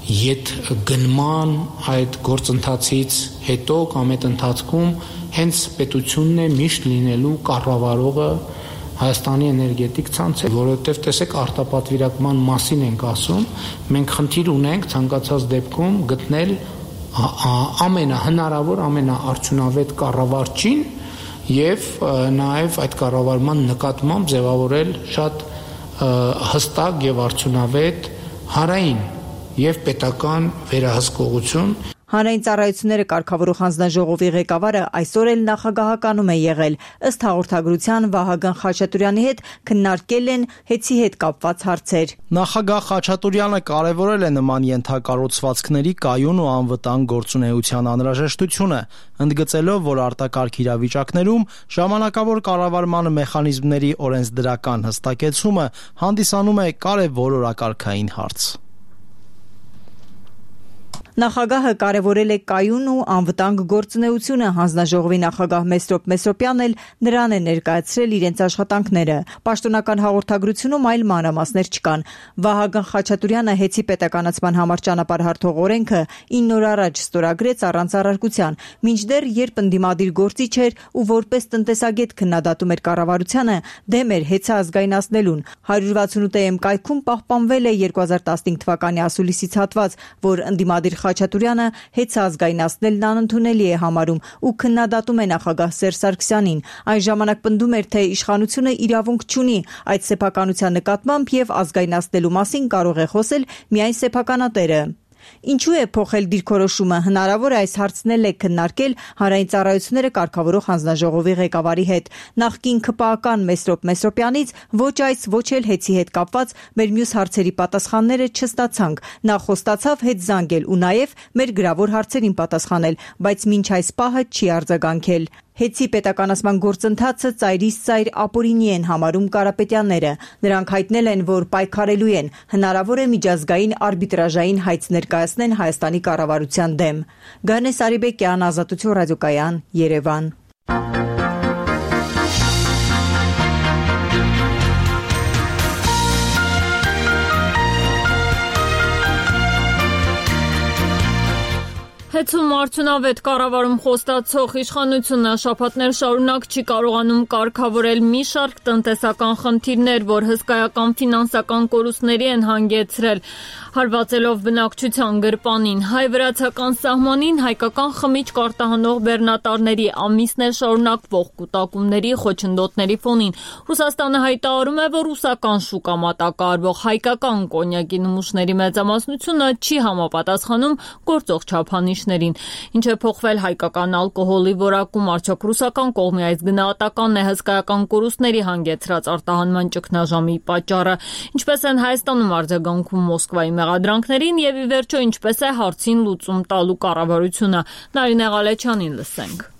S4: ետ գնման այդ գործընթացից հետո կամ այդ ընթացքում հենց պետությունն է միշտ լինելու կառավարողը Հայաստանի էներգետիկ ցանցը, որովհետև տեսեք արտապատվիրակման մասին ենք ասում, մենք խնդիր ունենք ցանկացած դեպքում գտնել ամենահնարավոր, ամենաարդյունավետ կառավարչին եւ նաեւ այդ կառավարման նկատմամբ ձևավորել շատ հստակ եւ արդյունավետ հանրային եւ պետական վերահսկողություն։
S5: Հանրային ծառայությունները կարգավորող հանձնաժողովի ղեկավարը այսօր էլ նախագահականում է եղել։ Ըստ հաղորդագրության Վահագն Խաչատուրյանի հետ քննարկել են հեծի հետ կապված հարցեր։
S13: Նախագահ Խաչատուրյանը կարևորել է նման ենթակառուցվածքների կայուն ու անվտանգ գործունեության անհրաժեշտությունը, ընդգծելով, որ արտակարգ իրավիճակներում ժամանակավոր կառավարման մեխանիզմների օրենսդրական հստակեցումը հանդիսանում է կարևոր օրակարգային հարց։
S5: Նախագահը կարևորել է կայուն ու անվտանգ գործունեությունը, հանձնաժողովի նախագահ Մեսրոպ Մեսրոպյանն էլ նրան է ներկայացրել իրենց աշխատանքները։ Պաշտոնական հաղորդագրությունում այլ մանրամասներ չկան։ Վահագն Խաչատուրյանը հեծի պետականացման համար ճանապարհ հարթող օրենքը 9 օր առաջ ստորագրեց առանց առարկության, մինչդեռ երբ ընդդիմադիր գործիչ էր ու որպես տնտեսագետ քննադատում էր կառավարությանը, դեմ էր հեծը ազգայնացնելուն։ 168-ըմ կայքում պահպանվել է 2015 թվականի ասուլիսից հատված, որ ընդդիմադիր Խաչատուրյանը հեծը ազգայնացնելն անընդունելի է համարում ու քննադատում է նախագահ Սերժ Սարգսյանին։ Այն ժամանակ պնդում էր, թե իշխանությունը իրավունք չունի այդ սեփականության նկատմամբ եւ ազգայնացնելու մասին կարող է խոսել միայն սեփականատերը։ Ինչու է փոխել դիրքորոշումը, հնարավոր է այս հարցն էլ է քննարկել հանրային ծառայությունները կարգավորող հանձնաժողովի ղեկավարի հետ։ Նախկին ՔՊԱ-ական Մեսրոպ Մեսրոպյանից ոչ այս, ոչ էլ հեծի հետ կապված մեր մյուս հարցերի պատասխանները չստացանք։ Նա խոստացավ հետ զանգել ու նաև մեր գրավոր հարցերին պատասխանել, բայց մինչ այս պահը չի արձագանքել։ Հեծի պետականացման գործընթացը ծայրից ծայր ապօրինի են համարում Կարապետյանները։ Նրանք հայտնել են, որ պայքարելու են, հնարավոր է միջազգային արբիտրաժային հայց ներկայացնեն Հայաստանի կառավարության դեմ։ Գանե Սարիբեկյան, Ազատություն ռադիոկայան, Երևան։
S1: Հեծում արդյունավետ կառավարում խոստացող իշխանությունը շաբաթներ շարունակ չի կարողանում կարգավորել մի շարք տնտեսական խնդիրներ, որ հսկայական ֆինանսական կորուստների են հանգեցրել, հարվածելով բնակչության գրպանին։ Հայ-վրացական սահմանին հայկական խմիչք արտահանող բեռնատարների ամիսներ շարունակվող կուտակումների խոչընդոտների ֆոնին Ռուսաստանը հայտարարում է, որ ռուսական շուկա մատակարարվող հայկական կոնյակի նմուշների մեծամասնությունը չի համապատասխանում գործող չափանիշ Ինչ է փոխվել հայկական ալկոհոլի որակում, արդյոք ռուսական կողմի այս գնահատականն է հսկայական կորուստների հանգեցրած արտահանման ճգնաժամի պատճառը, ինչպես են Հայաստանում արձագանքում Մոսկվայի մեղադրանքներին եւ ի վերջո ինչպես է հարցին լուծում տալու կառավարությունը։ Նարինե Ղալեչյանին լսենք։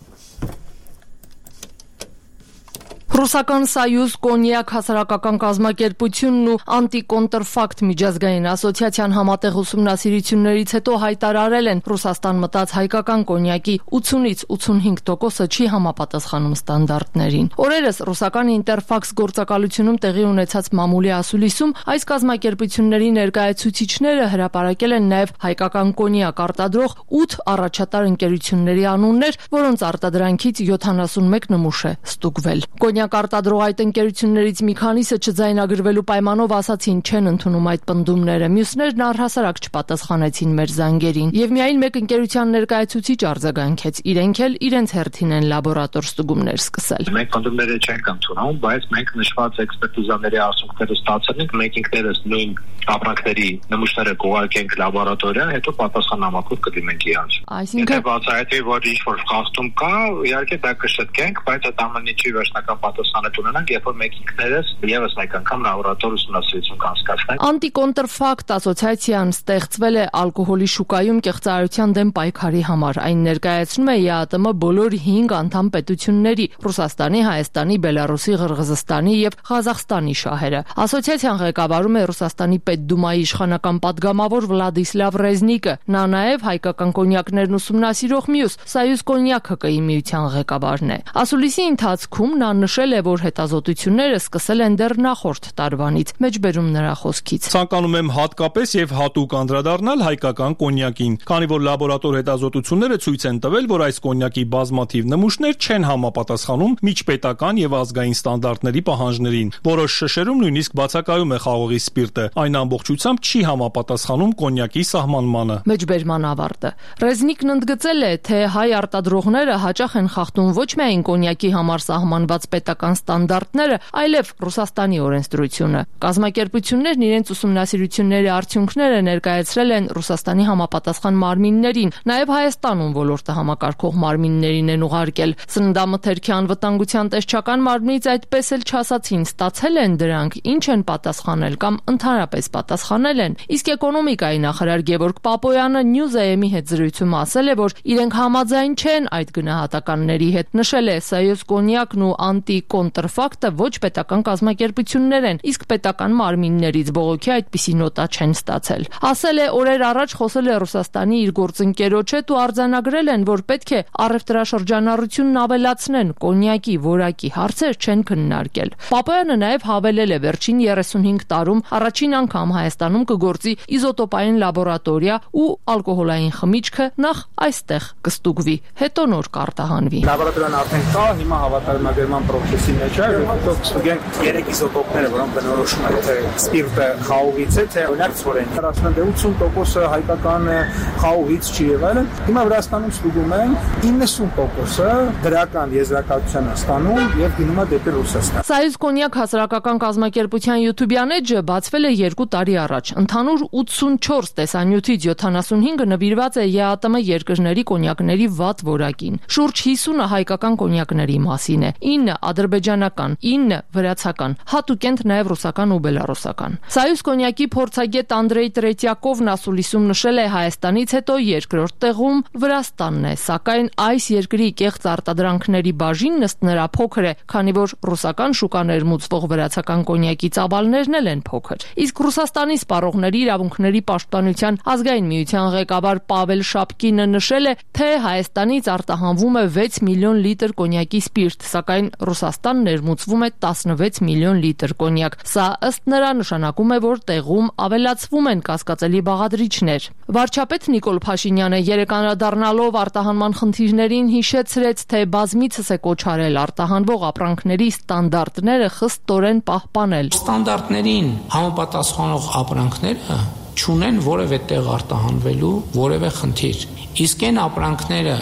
S14: Ռուսական Սայուզ կոնյակ հասարակական կազմակերպությունն ու Անտիկոնտրֆակտ միջազգային ասոցիացիան համատեղ ուսումնասիրություններից հետո հայտարարել են Ռուսաստան մտած հայկական կոնյակի 80-ից 85%-ը չի համապատասխանում ստանդարտներին։ Օրերս ռուսական Ինտերֆաքս գործակալությունում տեղի ունեցած մամուլի ասուլիսում այս կազմակերպությունների ներկայացուցիչները հրապարակել են նաև հայկական կոնյակ արտադրող 8 առաջատար ընկերությունների անուններ, որոնց արտադրանքից 71 նմուշ է ստուգվել։ Արտադրող այդ ընկերություններից մի քանիսը չձայնագրվելու պայմանով ասացին չեն ընդունում այդ պնդումները, մյուսներն առհասարակ չպատասխանեցին մեր զանգերին, եւ միայն մեկ ընկերության ներկայացուցիչ արձագանքեց, իրենք էլ իրենց հերթին են լաբորատոր ստուգումներ սկսել։
S15: Մենք պնդումները չենք ընդունում, բայց մենք նշված էքսպերտիզաների արդյունքները ստացել ենք, մենք ինքներս նույն ապրանքների նմուշները կուղարկենք լաբորատորիա, հետո պատասխանամակով կդիմենք իրանց։ Եթե բացահայտվի, որ ինչ-որ խախտում կա, իհարկե դա կշտկենք, բայց այդ ամենի չի վերջնական պատասխանը ունենանք, երբ որ մենք ինքներս եւս մեկ անգամ լաբորատոր ուսումնասիրություն կանցկացնենք։
S14: Անտիկոնտրֆակտ ասոցիացիան ստեղծվել է ալկոհոլի շուկայում կեղծարարության դեմ պայքարի համար։ Այն ներկայացնում է ԵԱՏՄ բոլոր 5 անդամ պետությունների՝ Ռուսաստանի, Հայաստանի, Բելարուսի, Ղրղզստանի եւ Ղազախստանի շահերը։ Ասոցիացիան ղեկավարում է Ռուսաստանի Պետդումայի իշխանական падգամավոր Վլադիսլավ Ռեզնիկը։ Նա նաեւ հայկական կոնյակներն ուսումնասիրող մյուս Սայուզ կոնյակ ՀԿ-ի միության ղեկավարն է։ Ասուլիսի ընթացքում նա նշել է, որ հետազոտությունները սկսել են դեռ նախորդ տարվանից։ Մեջբերում նրա խոսքից։
S16: Ցանկանում եմ հատկապես եւ հատուկ անդրադառնալ հայկական կոնյակին, քանի որ լաբորատոր հետազոտությունները ցույց են տվել, որ այս կոնյակի բազմաթիվ նմուշներ չեն համապատասխանում միջպետական եւ ազգային ստանդարտների պահանջներին։ Որոշ շշերում նույնիսկ բացակայում է խաղողի սպիրտը, այն ամբողջությամբ չի համապատասխանում կոնյակի սահմանմանը։
S14: Մեջբերման ավարտը։ Ռեզնիկն ընդգծել է, թե հայ արտադրողները հաճախ են խախտում ոչ միայն կոնյակի համար սահմանված պետական ստանդարտները, այլև Ռուսաստանի օրենսդրությունը։ Կազմակերպություններն իրենց ուսումնասիրությունների արդյունքները ներկայացրել են Ռուսաստանի համապատասխան մարմիններին, նաև Հայաստանում ոլորտը համակարգող մարմիններին են ուղարկել։ Սննդամթերքի անվտանգության տեսչական մարմնից այդպես էլ չասացին, ստացել են դրանք, ինչ են պատասխանել կամ ընդհանրապես պատասխանել են։ Իսկ էկոնոմիկայի նախարար Գևորգ Պապոյանը News-am-ի հետ զրույցում ասել է, որ իրենք համաձայն չեն այդ գնահատականների հետ։ Նշել է Սայոզ կոնյակն ու անտի-կոնտրֆակտը ոչ պետական կազմակերպություններ են, իսկ պետական մարմիններից բողոքի այդպիսի նոտա չեն ստացել։ Ասել է, օրեր առաջ խոսել է Ռուսաստանի իր գործընկերոջ հետ ու արձանագրել են, որ պետք է առևտրաշրջանառությունն ավելացնեն, կոնյակի որակի հարցեր չեն քննարկել։ Պապոյանը նաև հավելել է, վերջին 35 տարում առաջին անգամ Հայաստանում կգործի իզոտոպային լաբորատորիա ու ալկոհոլային խմիչքը նախ այստեղ կստուգվի, հետո նոր կարտահանվի։
S17: Լաբորատորիան արդեն կա, հիմա հավատարմագրման process-ի մեջ է, հետո կստուգենք 3 իզոտոպները, որոնք բնորոշում են, թե սպիրտը խաղողից է, թե օրինակ ցորեն։ 80% հայկական խաղողից չի եղել։ Հիմա Վրաստանում ստուգում են 90%-ը դրական եզրակացության ստանում եւ գնում է դեպի Ռուսաստան։
S14: Սայուզ կոնյակ հասարակական կազմակերպության YouTube-յան էջը բացվել է 2 տարի առաջ։ Ընդհանուր 84 տեսանյութից 75-ը նվիրված է ԵԱՏՄ երկրների կոնյակների վատ որակին։ Շուրջ 50-ը հայկական կոնյակների մասին է, 9 ադրբեջանական, 9 վրացական, հատուկենտ նաև ռուսական ու բելառուսական։ Սայուզ կոնյակի փորձագետ Անդրեյ Տրետյակովն ասուլիսում նշել է Հայաստանից հետո երկրորդ տեղում Վրաստանն է, սակայն այս երկրի կեղծ արտադրանքների բաժինն ըստ նրա փոքր է, քանի որ ռուսական շուկա ներմուծվող վրացական կոնյակի ծավալներն էլ են փոքր։ Իսկ Ռուսաստանի սպառողների իրավունքների պաշտպանության ազգային միության ղեկավար Պավել Շապկինը նշել է, թե Հայաստանից արտահանվում է 6 միլիոն լիտր կոնյակի սպիրտ, սակայն Ռուսաստան ներմուծվում է 16 միլիոն լիտր կոնյակ։ Սա ըստ նրա նշանակում է, որ տեղում ավելացվում են կասկածելի բաղադրիչներ։ Վարչապետ Նիկոլ Փաշինյանը անդրադառնալով արտահանման խնդիրներին հիշեցրեց, թե բազմիցս է կոչ արել արտահանվող ապրանքների ստանդարտները խստորեն պահպանել։
S4: Ստանդարտներին համապատասխանող ապրանքները չունեն որևէ տեղ արտահանվելու որևէ խնդիր։ Իսկ այն ապրանքները,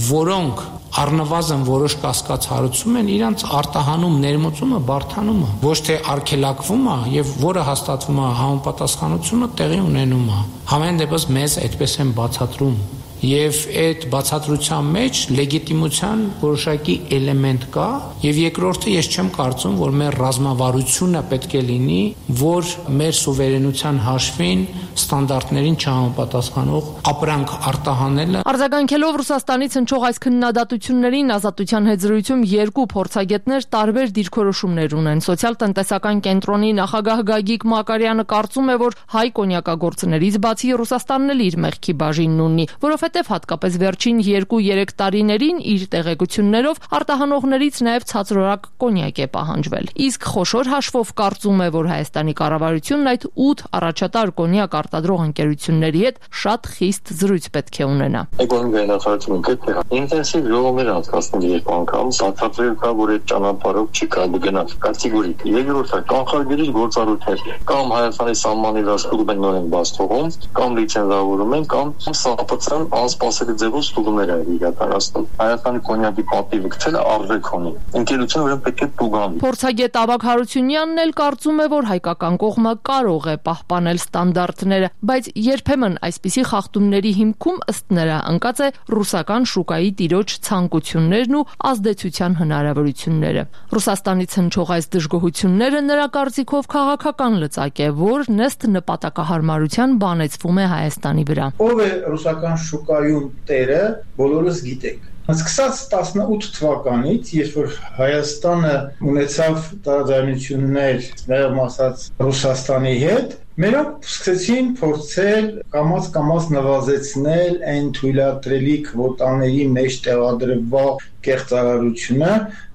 S4: որոնք առնվազն որոշ կասկած հարուցում են, իրանց արտահանում ներմուծումը բարդանում է, ոչ թե արգելակվում է եւ որը հաստատվում է համապատասխանությունը տեղի ունենում է։ Համեն դեպս մեզ այդպես են բացատրում։ Եվ այդ բացատրության մեջ լեգիտիմության որոշակի էլեմենտ կա, եւ երկրորդը ես չեմ կարծում, որ մեր ռազմավարությունը պետք է լինի, որ մեր սուվերենության հաշվին ստանդարտներին չհամապատասխանող ապրանք արտահանելը։
S14: Արձագանքելով Ռուսաստանից հնչող այս քննադատություններին Ազատության հետ զրույցում երկու փորձագետներ տարբեր դիրքորոշումներ ունեն։ Սոցիալ-տնտեսական կենտրոնի նախագահ Գագիկ Մակարյանը կարծում է, որ հայ կոնյակագործներից բացի Ռուսաստանն էլ իր մեղքի բաժինն ունի, որովհետև հատկապես վերջին 2-3 տարիներին իր տեղեկություններով արտահանողներից նաև ցածրորակ կոնյակ է պահանջվել։ Իսկ խոշոր հաշվով կարծում է, որ Հայաստանի կառավարությունն այդ 8 առաջատար կոնյակ արտադրող ընկերությունների հետ շատ խիստ զրույց պետք է ունենա։
S18: Էկոնոմիկայի նախարարությունը պետք է ինտենսիվ ժողովներ անցկացնել երբ անգամ սարքացրել կա, որ այդ ճանապարհով չի կարելի գնալ կատեգորիկ։ Երկրորդը կանխարգելիչ գործառույթներ կամ Հայաստանի սահմանի վրա ստուգում են նորեն բաց թողում, կամ լիցենզավորում են, կամ սապծան անսպասելի ձևով ստուգումներ են իրականացնում։ Հայաստանի կոնյակի պատիվը գցելը արժեք ունի։ Ընկերությունը ուրեմն պետք է տուգանվի։
S14: Փորձագետ Ավագ Հարությունյանն էլ կարծում է, որ հայկական կողմը կարող է պահպանել ստանդարտները, բայց երբեմն այսպիսի խախտումների հիմքում ըստ նրա ընկած է ռուսական շուկայի տիրոջ ցանկություններն ու ազդեցության հնարավորությունները։ Ռուսաստանից հնչող այս դժգոհությունները նրա կարծիքով քաղաքական լծակ է, որն ըստ նպատակահարմարության բանեցվում է Հայաստանի վրա։
S17: Ով է ռուսական շուկայում տերը, բոլորս գիտենք։ Սկսած 18 թվականից, երբ որ Հայաստանը ունեցավ տարաձայնություններ, ներողմ ասած, Ռուսաստանի հետ, մենակ սկսեցին փորձել կամաց նվազեցնել այն թույլատրելի քվոտաների մեջ տեղադրվող կեղծարարությունը,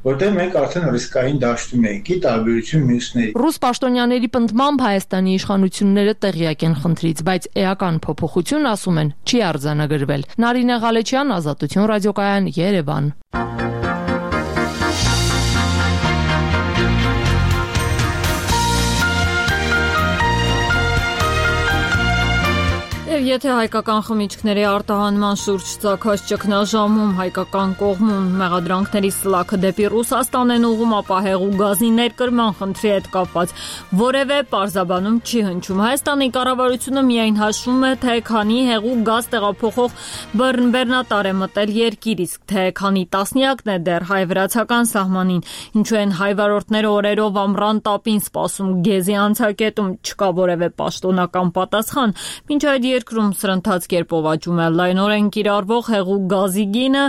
S17: որտեղ մենք արդեն ռիսկային դաշտում ենք՝ ի տարբերություն մյուսների։
S14: Ռուս պաշտոնյաների պնդմամբ Հայաստանի իշխանությունները տեղյակ են խնդրից, բայց էական փոփոխություն, ասում են, չի արձանագրվել։ Նարինե Ղալեչյան, Ազատություն ռադիոկայան, Երևան։
S1: Եթե հայկական խմիչքների արտահանման շուրջ ծագած ճգնաժամում հայկական կողմում մեղադրանքների սլաքը դեպի Ռուսաստան են ուղղում, ապա հեղուկ գազի ներկրման խնդրի հետ կապված որևէ պարզաբանում չի հնչում։ Հայաստանի կառավարությունը միայն հաշվում է, թե քանի հեղուկ գազ տեղափոխող բեռնատար է մտել երկիր, իսկ թե քանի տասնյակն է դեռ հայ-վրացական սահմանին, ինչու են հայ-վարորդները օրերով ամռան տապին սպասում գեզի անցակետում, չկա որևէ պաշտոնական պատասխան, մինչ այդ երկրում սրընթաց կերպով աճում է լայնորեն կիրառվող հեղուկ գազի գինը,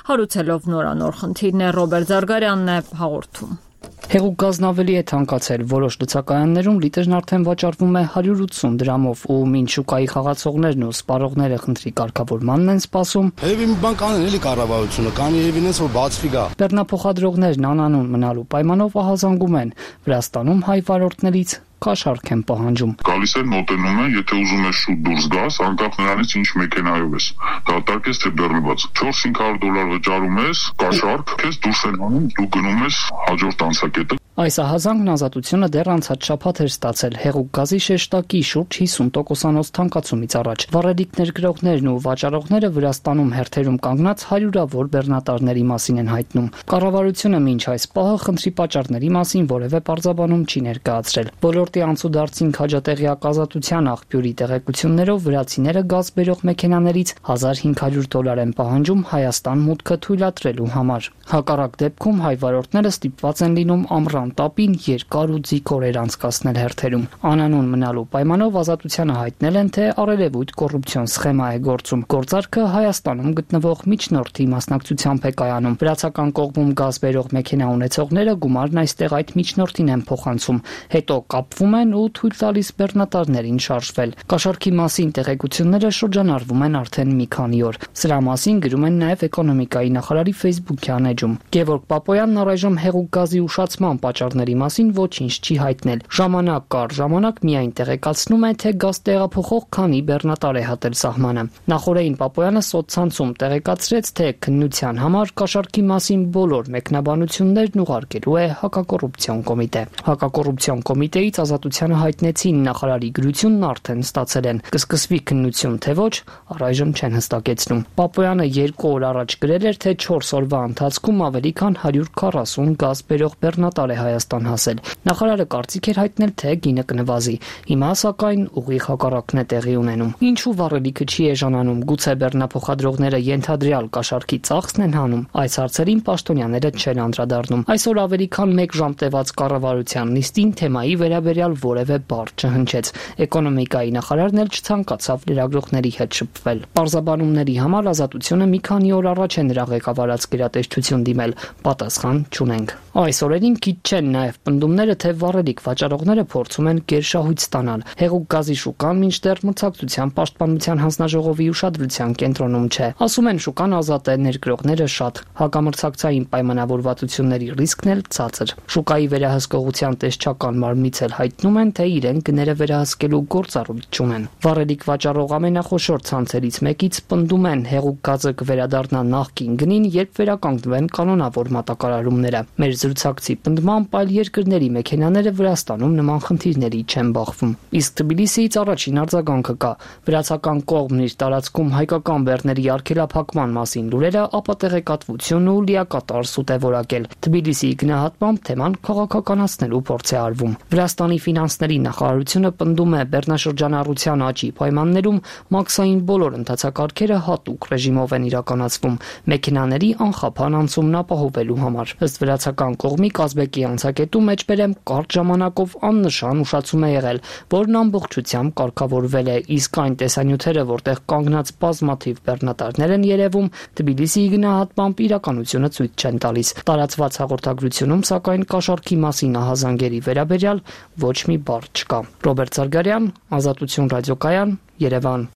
S1: հարուցելով նորանոր խնդիրներ Ռոբերտ Զարգարյանն է հաղորդում։
S19: Հեղուկ գազն ավելի է թանկացել, որոշ լցակայաններում լիտրն արդեն վաճառվում է 180 դրամով ու մինչ շուկայի խաղացողներն ու սպառողները խնդրի կարգավորմանն են սպասում։
S20: Երևի մի բան կանեն էլի կառավարությունը, կանի երևի նենց որ բացվի գա։
S19: Բեռնափոխադրողներն անանուն մնալու պայմանով ահազանգում են։ Վրաստանում հայ վարորդներից կաշառք են պահանջում։
S21: Գալիս են, մոտենում են, եթե ուզում ես շուտ դուրս գաս, անկախ նրանից ինչ մեքենայով ես։ Դատարկ ես թե բեռնված։ $400-500 վճարում ես, կաշառք, քեզ դուրս են անում, դու գնում ես հաջորդ անցակետը։
S19: Այս ահազանգն ազատությունը դեռ անցած շաբաթ էր ստացել հեղուկ գազի շեշտակի շուրջ 50%-անոց թանկացումից առաջ։ Վառելիքներ գրողներն ու վաճառողները Վրաստանում հերթերում կանգնած հարյուրավոր բեռնատարների մասին են հայտնում։ Կառավարությունը մինչ այս պահը խնդրի պատճառների մասին որևէ պարզաբանում չի ներկայացրել։ Ոլորտի անցուդարձին քաջատեղյակ ազատության աղբյուրի տեղեկություններով վրացիները գազ բերող մեքենաներից $1,500 են պահանջում Հայաստան մուտքը թույլատրելու համար։ Հակառակ դեպքում հայ վարորդները ստիպված են լինում ամռան տապին երկար ու ձիգ օրեր անցկացնել հերթերում։ Անանուն մնալու պայմանով ազատությանը հայտնել են, թե առելևույթ կոռուպցիոն սխեմա է գործում։ Գործարքը Հայաստանում գտնվող միջնորդի մասնակցությամբ է կայանում։ Վրացական կողմում գազ բերող մեքենա ունեցողները գումարն այստեղ այդ միջնորդին են փոխանցում, հետո կապվում են ու թույլ տալիս բեռնատարներին շարժվել։ Կաշառքի մասին տեղեկությունները շրջանառվում են արդեն մի քանի օր։ Սրա մասին գրում են նաև էկոնոմիկայի նախարարի Facebook-յան էջում։ Գևորգ Պապոյանն առայժմ հեղուկ գազի ուշացման պատճառների մասին ոչինչ չի հայտնել։ Ժամանակ կար ժամանակ միայն տեղեկացնում է, թե գազ տեղափոխող քանի բեռնատար է հատել սահմանը։ Նախորդին Պապոյանը սոցցանցում տեղեկացրեց, թե քննության համար կաշառքի մասին բոլոր մեկնաբանություններն ուղարկելու է հակակոռուպցիոն կոմիտե։ Հակակոռուպցիոն կոմիտեից ազատությանը հայտնեցին նախարարի գրությունն արդեն ստացել են։ Կսկսվի քննություն թե ոչ, առայժմ չեն հստակեցնում։ Պապոյանը 2 օր առաջ գրել էր, թե 4 օրվա ընթացքում ավելի քան 140 գազ բերող բեռնատար է Հայաստան հասել։ Նախարարը կարծիք էր հայտնել, թե գինը կնվազի։ Հիմա սակայն ուղիղ հակառակն է տեղի ունենում։ Ինչու վառելիքը չի էժանանում, գուցե բեռնափոխադրողները ենթադրյալ կաշառքի ծախսն են հանում։ Այս հարցերին պաշտոնյաները չեն անդրադառնում։ Այսօր ավելի քան 1 ժամ տևած կառավարության նիստին թեմայի վերաբերյալ որևէ բառ չհնչեց։ Էկոնոմիկայի նախարարն էլ չցանկացավ լրագրողների հետ շփվել։ Պարզաբանումների համար ազատությունը մի քանի օր առաջ է նրա ղեկավարած գերատեսչություն դիմել, պատասխան չունենք։ Այս օրերին քիչ չեն նաև պնդումները, թե վառելիք վաճառողները փորձում են գերշահույթ ստանալ։ Հեղուկ գազի շուկան մինչդեռ մրցակցության պաշտպանության հանձնաժողովի ուշադրության կենտրոնում չէ։ Ասում են շուկան ազատ է, ներգրողները շատ, հակամրցակցային պայմանավորվածությունների ռիսկն էլ ցածր։ Շուկայի վերահսկողության տեսչական մարմնից էլ հայտնում են, թե իրենք գները վերահսկելու գործառույթ չունեն։ Վառելիք վաճառող ամենախոշոր ցանցերից մեկից պնդում են, հեղուկ գազը կվերադառնա նախկին գնին, երբ վերականգնվեն կանոնավոր մատակարարումները։ Մեր զրուցակցի պնդմամբ այլ երկրների մեքենաները Վրաստանում նման խնդիրների չեն բախվում։ Իսկ Թբիլիսիից առաջին արձագանքը կա։ Վրացական կողմն իր տարածքում հայկական բեռների արգելափակման մասին լուրերը ապատեղեկատվություն ու լիակատար սուտ է որակել։ Թբիլիսիի գնահատմամբ թեման քաղաքականացնելու փորձ է արվում։ Վրաստանի ֆինանսների նախարարությունը պնդում է բեռնաշրջանառության աճի պայմաններում մաքսային բոլոր ընթացակարգերը հատուկ ռեժիմով են իրականացվում մեքենաների անխափան անցումն ապահովելու համար։ Ըստ վրացական կողմի Կազբեկի անցակետում մեջբերեմ կարճ ժամանակով աննշան ուշացում է եղել, որն ամբողջությամբ կարգավորվել է, իսկ այն տեսանյութերը, որտեղ կանգնած բազմաթիվ բեռնատարներ են երևում, Թբիլիսիի գնահատմամբ իրականությունը ցույց չեն տալիս։ Տարածված հաղորդագրությունում սակայն կաշառքի մասին ահազանգերի վերաբերյալ ոչ մի բառ չկա։ Ռոբերտ Զարգարյան, Ազատություն ռադիոկայան, Երևան։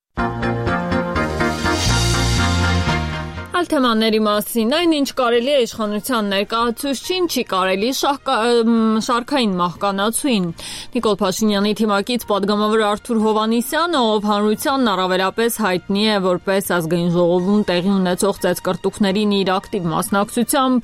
S1: թեմաների մասին, այնինչ կարելի է իշխանության ներկայացուցչին, չի կարելի շարքային մահկանացուին։ Նիկոլ Փաշինյանի թիմակից պատգամավոր Արթուր Հովհաննիսյանը, ով հանրությանն առավելապես հայտնի է որպես ազգային ժողովում տեղի ունեցող ծեծկռտուքներին իր ակտիվ մասնակցությամբ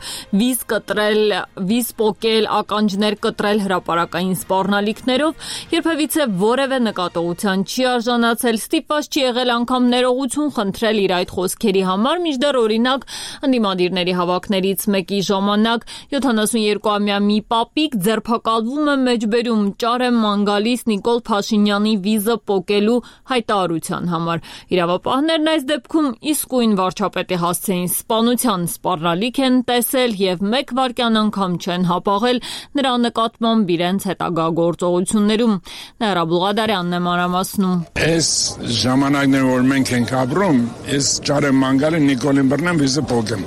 S1: վիզ պոկել, ականջներ կտրել հրապարակային սպառնալիքներով, երբևիցե որևէ նկատողության չի արժանացել, ստիպված չի եղել անգամ ներողություն խնդրել իր այդ խոսքերի համար, մինչդեռ օրինակ ընդդիմադիրների հավաքներից մեկի ժամանակ 72-ամյա մի պապիկ ձերբակալվում է մեջբերում ճար է ման գալիս Նիկոլ Փաշինյանի վիզը պոկելու հայտարարության համար։ Իրավապահներն այս դեպքում իսկույն վարչապետի հասցեին սպանության սպառնալիք են տեսել եւ մեկ վայրկյան անգամ չեն հապաղել նրա նկատմամբ իրենց հետագա գործողություններում։ Ներա Բուղադարյանն է մանրամասնում։
S2: Այս ժամանակներում որ մենք ենք ապրում, այս ճարը մանգալը Նիկոլին բռնեմ վիզը պոկեմ։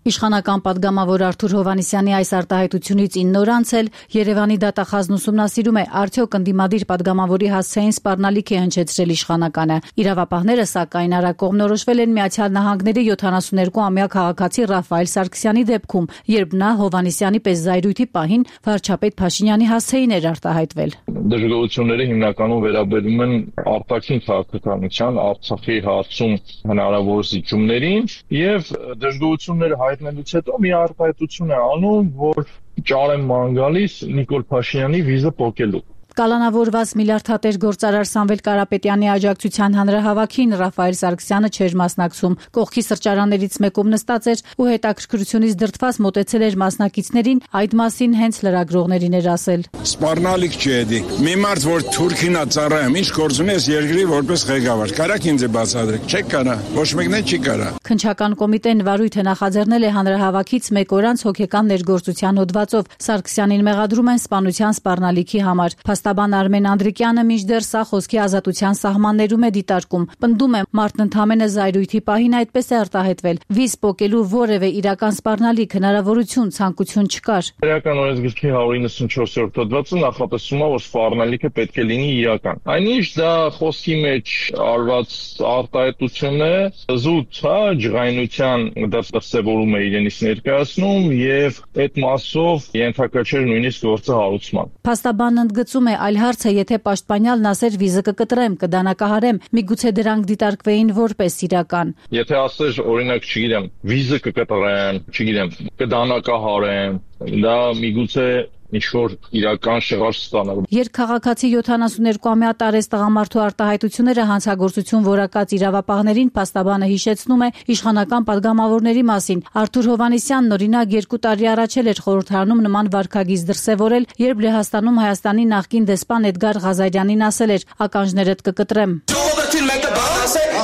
S10: Իշխանական պատգամավոր Արթուր Հովհաննիսյանի այս արտահայտությունից 9 օր անցել Երևանի դատախազն ուսումնասիրում է արդյոք ընդդիմադիր պատգամավորի հասցեին սպառնալիք է հնչեցրել իշխանականը։ Իրավապահները սակայն արագ-կողմնորոշվել են Միացյալ Նահանգների 72-ամյա քաղաքացի Ռաֆայել Սարգսյանի դեպքում, երբ նա Հովհաննիսյանի պես զայրույթի պահին վարչապետ Փաշինյանի հասցեին էր արտահայտվել։
S22: Դժգոհությունները հիմնականում վերաբերում են արտաքին քաղաքականության, Արցախի հարցում հնարավոր զիջումներին եւ դժգոհությունները հայտնելուց հետո մի արտահայտություն է անում, որ ճար է ման գալիս Նիկոլ Փաշինյանի վիզը պոկելու։
S10: Կալանավորված միլիարդատեր գործարար Սամվել Կարապետյանի աջակցության հանրահավաքին Ռաֆայել Սարգսյանը չէր մասնակցում։ Կողքի սրճարաններից մեկում նստած էր ու հետաքրքրությունից դրդված մոտեցել էր մասնակիցներին, այդ մասին հենց լրագրողներին էր ասել։
S2: Սպառնալիք չի էդի։ Մի մարդ, որ Թուրքին է ծառայում, ինչ գործ ունի այս երկրի որպես ղեկավար։ Կարաք ինձ բացատրեք։ Չեք կարա։ Ոչ մեկն էլ չի կարա։
S10: Քննչական կոմիտեն վարույթը նախաձեռնել է հանրահավաքից մեկ օր անց հոգեկան ներգործության հոդվածով։ Սարգսյանին մեղադրում են սպանության սպառնալիքի համար։ Փաստաբան Արմեն Անդրիկյանը մինչդեռ սա խոսքի ազատության սահմաններում է դիտարկում։ Պնդում է, մարդն ընդհանրապես զայրույթի պահին այդպես է արտահայտվել։ Վիզ պոկելու որևէ իրական սպառնալիք հնարավորություն, ցանկություն չկար։
S22: Իրական օրենսգրքի 194-րդ հոդվածը նախատեսում է, որ սպառնալիքը պետք է լինի իրական։ Այնինչ դա խոսքի մեջ արված արտահայտություն է, զուտ, ջղայնության դրսևորում է իրենից ներկայացնում եւ այդ մասով ենթակա չէր նույնիսկ գործը հարուցման։
S10: Փաստաբանն ընդգծում է, այլ հարց է, եթե պաշտպանյալն ասեր վիզը կկտրեմ, կդանակահարեմ, միգուցե դրանք դիտարկվեին որպես իրական։
S22: Եթե ասեր, օրինակ, չգիտեմ, վիզը կկտրեմ, չգիտեմ, կդանակահարեմ, դա միգուցե ինչ-որ իրական շեղար ստանալ։
S10: Երկքաղաքացի 72-ամյա տարեց տղամարդու արտահայտությունները հանցագործություն որակած իրավապահներին փաստաբանը հիշեցնում է իշխանական պատգամավորների մասին։ Արթուր Հովհաննիսյանն օրինակ 2 տարի առաջ էր խորհրդարանում նման վարքագիծ դրսևորել, երբ Լեհաստանում Հայաստանի նախկին դեսպան Էդգար Ղազարյանին ասել էր. «Ականջներդ կկտրեմ»։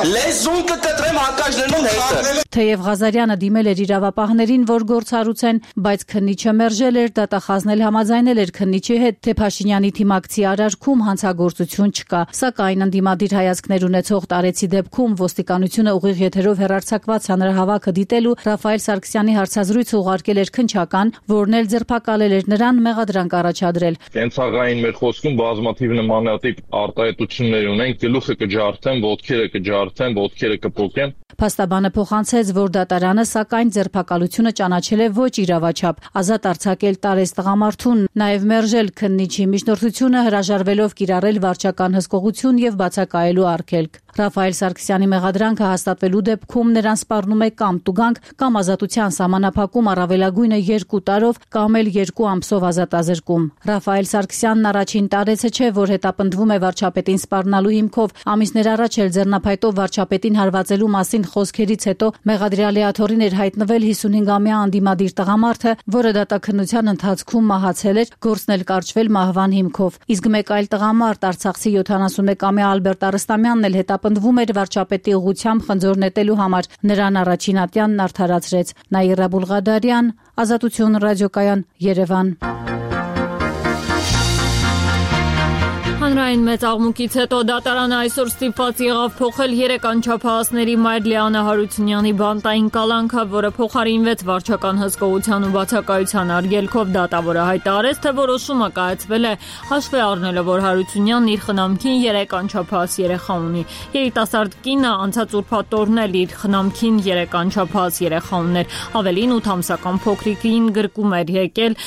S23: Լեզուն կկտրեմ ականջներում հետը։
S10: Թեև Ղազարյանը դիմել էր իրավապահներին, որ գործ հարուցեն, բայց քննիչը մերժել էր, դատախազն էլ համաձայնել էր քննիչի հետ, թե Փաշինյանի թիմակցի արարքում հանցագործություն չկա։ Սակայն ընդդիմադիր հայացքներ ունեցող տարեցի դեպքում ոստիկանությունը ուղիղ եթերով հեռարձակված հանրահավաքը դիտելու Ռաֆայել Սարգսյանի հարցազրույցը ուղարկել էր քննչական, որն էլ ձերբակալել էր նրան, մեղադրանք առաջադրել։
S22: Կենցաղային մեր խոսքում բազմաթիվ նմանատիպ արտահայտություններ ունենք, գլուխը կջարդեն, ոտքերը կջարդեն, ոտքերը կպոկեն։
S10: Փաստաբանը փոխանցեց, որ դատարանը սակայն ձերբակալությունը ճանաչել է ոչ իրավաչափ, ազատ արձակել տարեց տղամարդուն, նաև մերժել քննիչի միջնորդությունը, հրաժարվելով կիրառել վարչական հսկողություն եւ բացակայելու արգելք։ Ռաֆայել Սարգսյանի մեղադրանքը հաստատվելու դեպքում նրան սպառնում է կամ տուգանք, կամ ազատության սահմանափակում առավելագույնը 2 տարով, կամ էլ 2 ամսով ազատազրկում։ Ռաֆայել Սարգսյանն առաջին տարեցը չէ, որ հետապնդվում է վարչապետին սպառնալու հիմքով։ Ամիսներ առաջ էլ ձեռնափայտով վարչապետին հարվածելու մասին խոսքերից հետո մեղադրյալի աթոռին էր հայտնվել 55-ամյա անդիմադիր տղամարդը, որը դատաքննության ընթացքում մահացել էր, գործն էլ կարճվել մահվան հիմքով։ Իսկ մեկ այլ տղամարդ, արցախցի 71-ամյա Ալբերտ Արստամյանն էլ հետապնդվում էր վարչապետի ուղղությամբ խնձոր նետելու համար։ Նրան առաջին ատյանն արդարացրեց։ Նաիրա Բուլղադարյան, Ազատություն ռադիոկայան, Երևան։
S1: Հանրային Բանակցային մեծ աղմուկից հետո դատարանը այսօր ստիպված եղավ փոխել 3 անչափահասների մայր Լիանա Հարությունյանի բանտային կալանքը, որը փոխարինվեց վարչական հսկողության ու բացակայության արգելքով։ Դատավորը հայտարարեց, թե որոշումը կայացվել է հաշվի առնելով, որ Հարությունյանն իր խնամքին 3 անչափահաս երեխա ունի։ Երիտասարդ կինը անցած ուրբաթ օրն էլ իր խնամքին 3 անչափահաս երեխա ուներ։ Ավելին 8 ամսական փոքրիկին գրկում էր եկել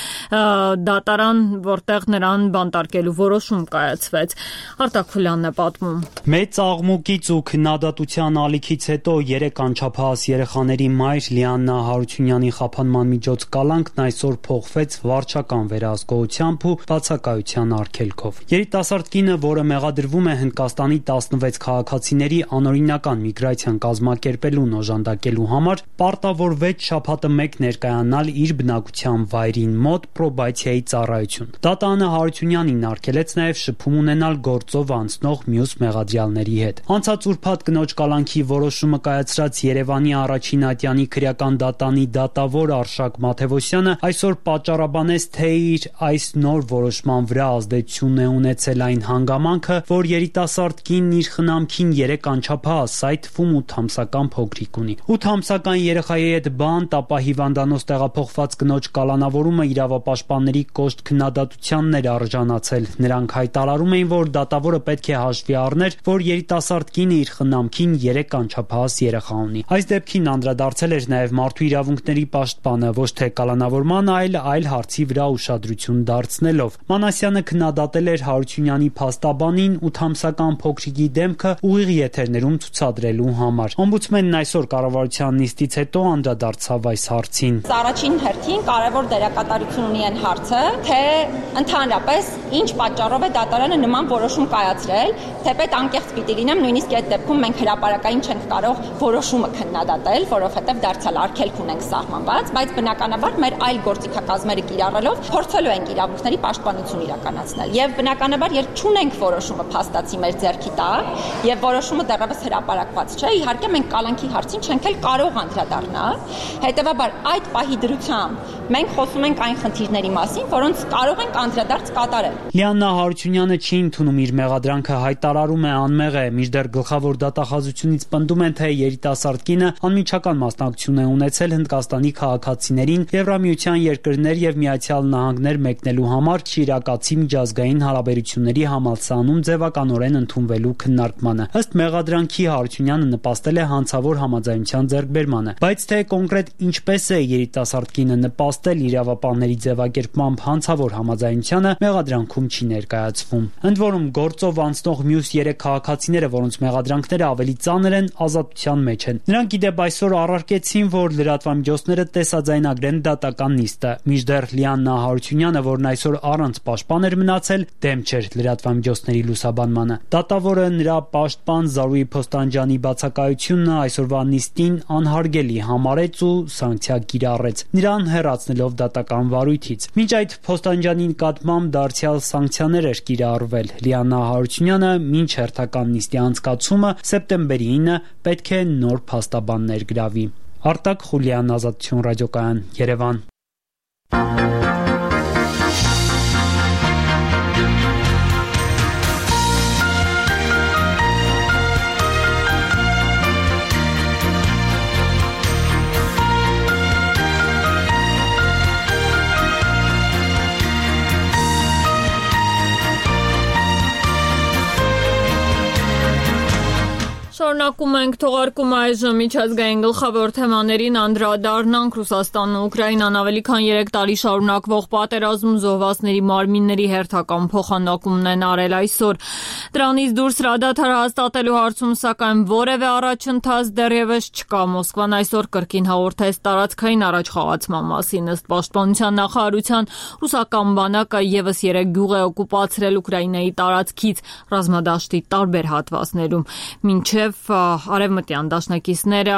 S1: դատարան, որտեղ նրան բանտարկելու որոշում կայացվեց։ Արտակ Խուլյանն է պատմում։
S3: Մեծ աղմուկից ու քննադատության ալիքից հետո 3 անչափահաս երեխաների մայր Լիանա Հարությունյանի խափանման միջոց կալանքն այսօր փոխվեց վարչական վերահսկողությամբ ու բացակայության արգելքով։ Երիտասարդ կինը, որը մեղադրվում է Հնդկաստանի 16 քաղաքացիների անօրինական միգրացիան կազմակերպելուն օժանդակելու համար, պարտավորվեց շաբաթը 1 ներկայանալ իր բնակության վայրին մոտ պրոբացիայի ծառայություն։ Դատարանը Հարությունյանին արգելեց նաև շփում ունենալ գործով անցնող մյուս մեղադրյալների հետ։ Անցած ուրբաթ կնոջ կալանքի որոշումը կայացրած Երևանի առաջին ատյանի քրեական դատանի դատավոր Արշակ Մաթևոսյանը այսօր պատճառաբանեց, թե իր այս նոր որոշման վրա ազդեցություն է ունեցել այն հանգամանքը, որ երիտասարդ կինն իր խնամքին 3 անչափահաս, այդ թվում 8 ամսական փոքրիկ ունի։ 8 ամսական երեխայի հետ բանտ, ապա հիվանդանոց տեղափոխված կնոջ կալանավորումը իրավապաշտպանների կոշտ քննադատությանն էր արժանացել։ Նրանք հայտարարում էին, որ դատավորը պետք է հաշվի առներ, որ երիտասարդ կինը իր խնամքին 3 անչափահաս երեխա ունի։ Այս դեպքին անդրադարձել էր նաև մարդու իրավունքների պաշտպանը, ոչ թե կալանավորման, այլ հարցի վրա ուշադրություն դարձնելով։ Մանասյանը քննադատել էր Հարությունյանի փաստաբանին 8 ամսական փոքրիկի դեմքը ուղիղ եթերներում ցուցադրելու համար։ Օմբուդսմենն այսօր կառավարության նիստից հետո անդրադարձավ այս հարցին։
S7: Առաջին հերթին կարևոր դերակատարություն ունի այն հարցը, թե ընդհանրապես ինչ պատճառով է դատարանը նման որոշում կայացրել, թեպետ անկեղծ պիտի լինեմ, նույնիսկ այդ դեպքում մենք հրապարակային չենք կարող որոշումը քննադատել, որովհետև դարձյալ արգելք ունենք սահմանված, բայց բնականաբար մեր այլ գործիքակազմերը կիրառելով փորձելու ենք իրավունքների պաշտպանություն իրականացնել։ Եվ բնականաբար, երբ չունենք որոշումը փաստացի մեր ձեռքի տակ եւ որոշումը դեռևս հրապարակված չէ, իհարկե մենք կալանքի հարցին չենք էլ կարող անդրադառնալ։ Հետևաբար այդ պահի դրությամբ մենք խոսում ենք այն խնդիրների մասին, որոնց կարող ենք անդրադարձ կատարել։
S3: Լիանա Հարությունյանը չի ընդունում իր մեղադրանքը, հայտարարում է անմեղ է, մինչդեռ գլխավոր դատախազությունից պնդում են, թե երիտասարդ կինը անմիջական մասնակցություն է ունեցել Հնդկաստանի քաղաքացիներին Եվրամիության երկրներ եւ Միացյալ Նահանգներ մեկնելու համար Շիրակացի միջազգային հարաբերությունների համալսարանում ձևականորեն ընդունվելու քննարկմանը։ Ըստ մեղադրանքի Հարությունյանը նպաստել է հանցավոր համաձայնության ձեռքբերմանը, բայց թե կոնկրետ ինչպես է երիտասարդ կինը նպաստել իրավապահների ձևակերպմամբ հանցավոր համաձայնությանը մեղադրանքում չի ներկայացվում։ Ընդ որում գործով անցնող մյուս 3 քաղաքացիները, որոնց մեղադրանքները ավելի ծանր են, ազատության մեջ են։ Նրանք ի դեպ այսօր առարկեցին, որ լրատվամիջոցները տեսաձայնագրեն դատական նիստը, մինչդեռ Լիանա Հարությունյանը, որն այսօր առանց պաշտպան էր մնացել, դեմ չէր լրատվամիջոցների լուսաբանմանը։ Դատավորը նրա պաշտպան Զարուհի Փոստանջյանի բացակայությունն այսօրվա նիստին անհարգելի համարեց ու սանկցիա կիրառեց, նրան հեռացնելով դատական վարույթից։ Մինչ այդ Փոստանջյանի նկատմամբ դարձյալ սանկցիաներ էր կիրառվել։ Լիանա Հարությունյանը մինչ հերթական նիստի անցկացումը սեպտեմբերի 9 պետք է նոր փաստաբան ներգրավի։ Արտակ Խուլյան, Ազատություն ռադիոկայան, Երևան։
S1: Շարունակում ենք թողարկում այժմ միջազգային գլխավոր թեմաներին անդրադառնանք Ռուսաստանն ու Ուկրաինան ավելի քան 3 տարի շարունակվող պատերազմում զոհվածների մարմինների հերթական փոխանակումն են արել այսօր։ Դրանից դուրս հրադադար հաստատելու հարցում սակայն որևէ առաջընթաց դեռևս չկա։ Մոսկվան այսօր կրկին հաղորդեց տարածքային առաջխաղացման մասին։ Ըստ պաշտպանության նախարարության ռուսական բանակը եւս 3 գյուղ է օկուպացրել Ուկրաինայի տարածքից ռազմադաշտի տարբեր հատվածներում։ Մինչև արևմտյան դաշնակիցները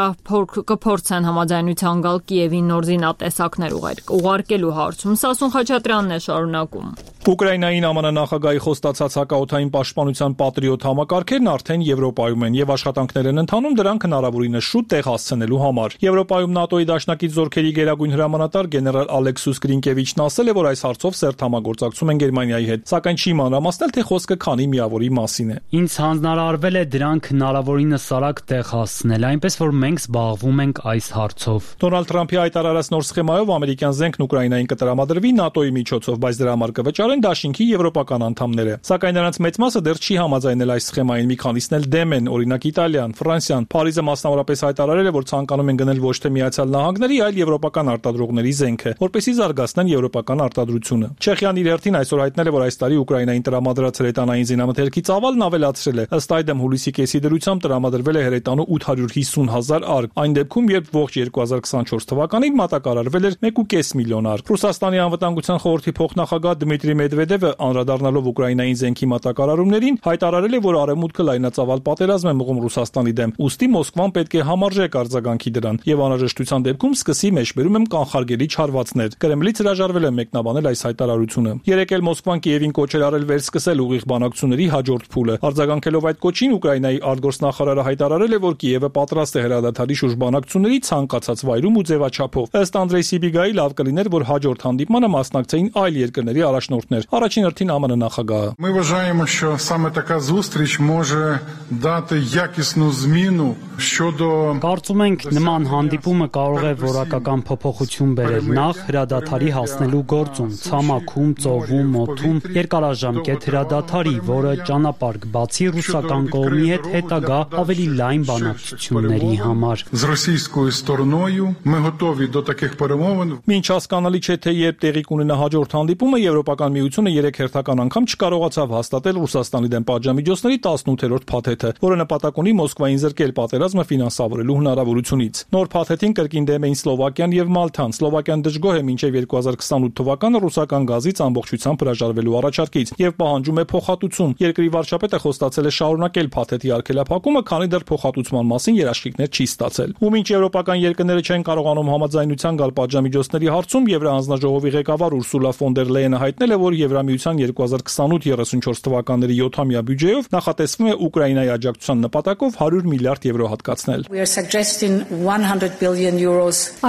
S1: կփորձեն համաձայնության գալ Կիևի նոր զինատեսակներ ուղարկելու հարցում։ Սասուն Խաչատրյանն է շարունակում։
S16: Ուկրաինային ԱՄՆ նախագահի խոստացած հակաօդային պաշտպանության պատրիոտ համակարգերն արդեն Եվրոպայում են եւ աշխատանքներ են ընթանում դրանք հնարավորինս շուտ տեղ հասցնելու համար։ Եվրոպայում ՆԱՏՕ-ի դաշնակից զորքերի գերագույն հրամանատար գեներալ Ալեքսուս Գրինկևիչն ասել է, որ այս հարցով սերտ համագործակցում են Գերմանիայի հետ, սակայն չի մանրամասնել, թե խոսքը քանի միավորի մասին է։
S3: Ինձ հանձնարարվել է դրանք հնարավորինս արագ տեղ հասցնել, այնպես որ մենք զբաղվում ենք այս հարցով։
S16: Դոնալդ Թրամփի հայտարարած նոր սխեմայով ամերիկյան զենքն Ուկրաինային կտրամադրվի ՆԱՏՕ-ի միջոցով, բայց դրա համար կվճարեն դաշինքի եվրոպական անդամները։ Սակայն նրանց մեծ մասը դեռ չի համաձայնել այս սխեմային, մի քանիսն էլ դեմ են, օրինակ Իտալիան, Ֆրանսիան։ Փարիզը մասնավորապես հայտարարել է, որ ցանկանում են գնել ոչ թե Միացյալ Նահանգների, այլ եվրոպական արտադրողների զենքը, որպեսզի զարգացնեն եվրոպական արտադրությունը։ Չեխիան իր հերթին այսօր հայտնել է, որ այս տարի Ուկրաինային տրամադրած հրետանային զինամթերքի ծավալն ավելացրել է։ Ըստ այդմ հուլիսի կեսի դրությամբ տրամադրվել է հրետանու 850,000 արկ, այն դեպքում, երբ ողջ 2024 թվականին մատակարարվել էր 1.5 միլիոն արկ։ Ռուսաստանի անվտանգության խորհրդի փոխնախագահ Դմիտրի Մեդվեդևը անդրադառնալով Ուկրաինային զենքի մատակարարումներին հայտարարել է, որ արևմուտքը լայնածավալ պատերազմ է մղում Ռուսաստանի դեմ, ուստի Մոսկվան պետք է համարժեք արձագանքի դրան եւ անհրաժեշտության դեպքում սկսի մեջբերում եմ կանխարգելիչ հարվածներ։ Կրեմլից հրաժարվել է մեկնաբանել այս հայտարարությունը։ Երեկ էլ Մոսկվան Կիևին կոչել արել վերսկսել ուղիղ բանակցությունների հաջորդ փուլը։ Արձագանքելով այդ կոչին Ուկրաինայի արտգործնախարարը հայտարարել է, որ Կիևը պատրաստ է հրադադարի շուրջ բանակցությունների ցանկացած վայրում ու ձևաչափով։ Ըստ Անդրեյ Սիբիգայի լավ կլիներ, որ հաջորդ հանդիպմանը մասնակցեին այլ երկրների առաջնորդներ։ Առաջին հերթին ԱՄՆ նախագահը։
S2: Ми вважаємо, що саме така зустріч може дати якісну зміну щодо
S3: Կարծում ենք նման հանդիպումը կարող է որակական փոփոխություն բերել նախ հրադադարի հասնելու գործում, ցամաքում, ծովում, օդում, երկարաժամկետ հրադադարի, որը ճանապարհ կբացի ռուսական կողմի հետ հետագա ավելի լայն բանակցությունների համար։
S2: З російською стороною ми готові до таких перемовин.
S16: Մինչ հասկանալի չէ, թե երբ տեղի կունենա հաջորդ հանդիպումը, Եվրոպական միությունը 3 հերթական անգամ չկարողացավ հաստատել Ռուսաստանի դեմ պատժամիջոցների 18-րդ փաթեթը, որը նպատակ ունի Մոսկվային զրկել պատերազմը ֆինանսավորելու հնարավորությունից։ Նոր փաթեթին կրկին դեմ էին Սլովակիան եւ Մալթան։ Սլովակիան դժգոհ է մինչեւ 2028 թվականը ռուսական գազից ամբողջությամբ հրաժարվելու առաջարկից եւ պահանջում է փոխհատուցում։ Երկրի վարչապետը խոստացել է շարունակել փաթեթի արգելափակումը, քանի դեռ փոխհատուցման մասին երաշխիքներ չի ստացել։ Ու մինչ եվրոպական երկրները չեն կարողանում համաձայնության գալ պատժամիջոցների հարցում, Եվրահանձնաժողովի ղեկավար Ուրսուլա ֆոն դեր Լեյենը հայտնել է, որ Եվրամիության 2028-34 թվականների 7-ամյա բյուջեով նախատեսվում է Ուկրաինայի աջակցության նպատակով 100 միլիարդ եվրո հատկացնել։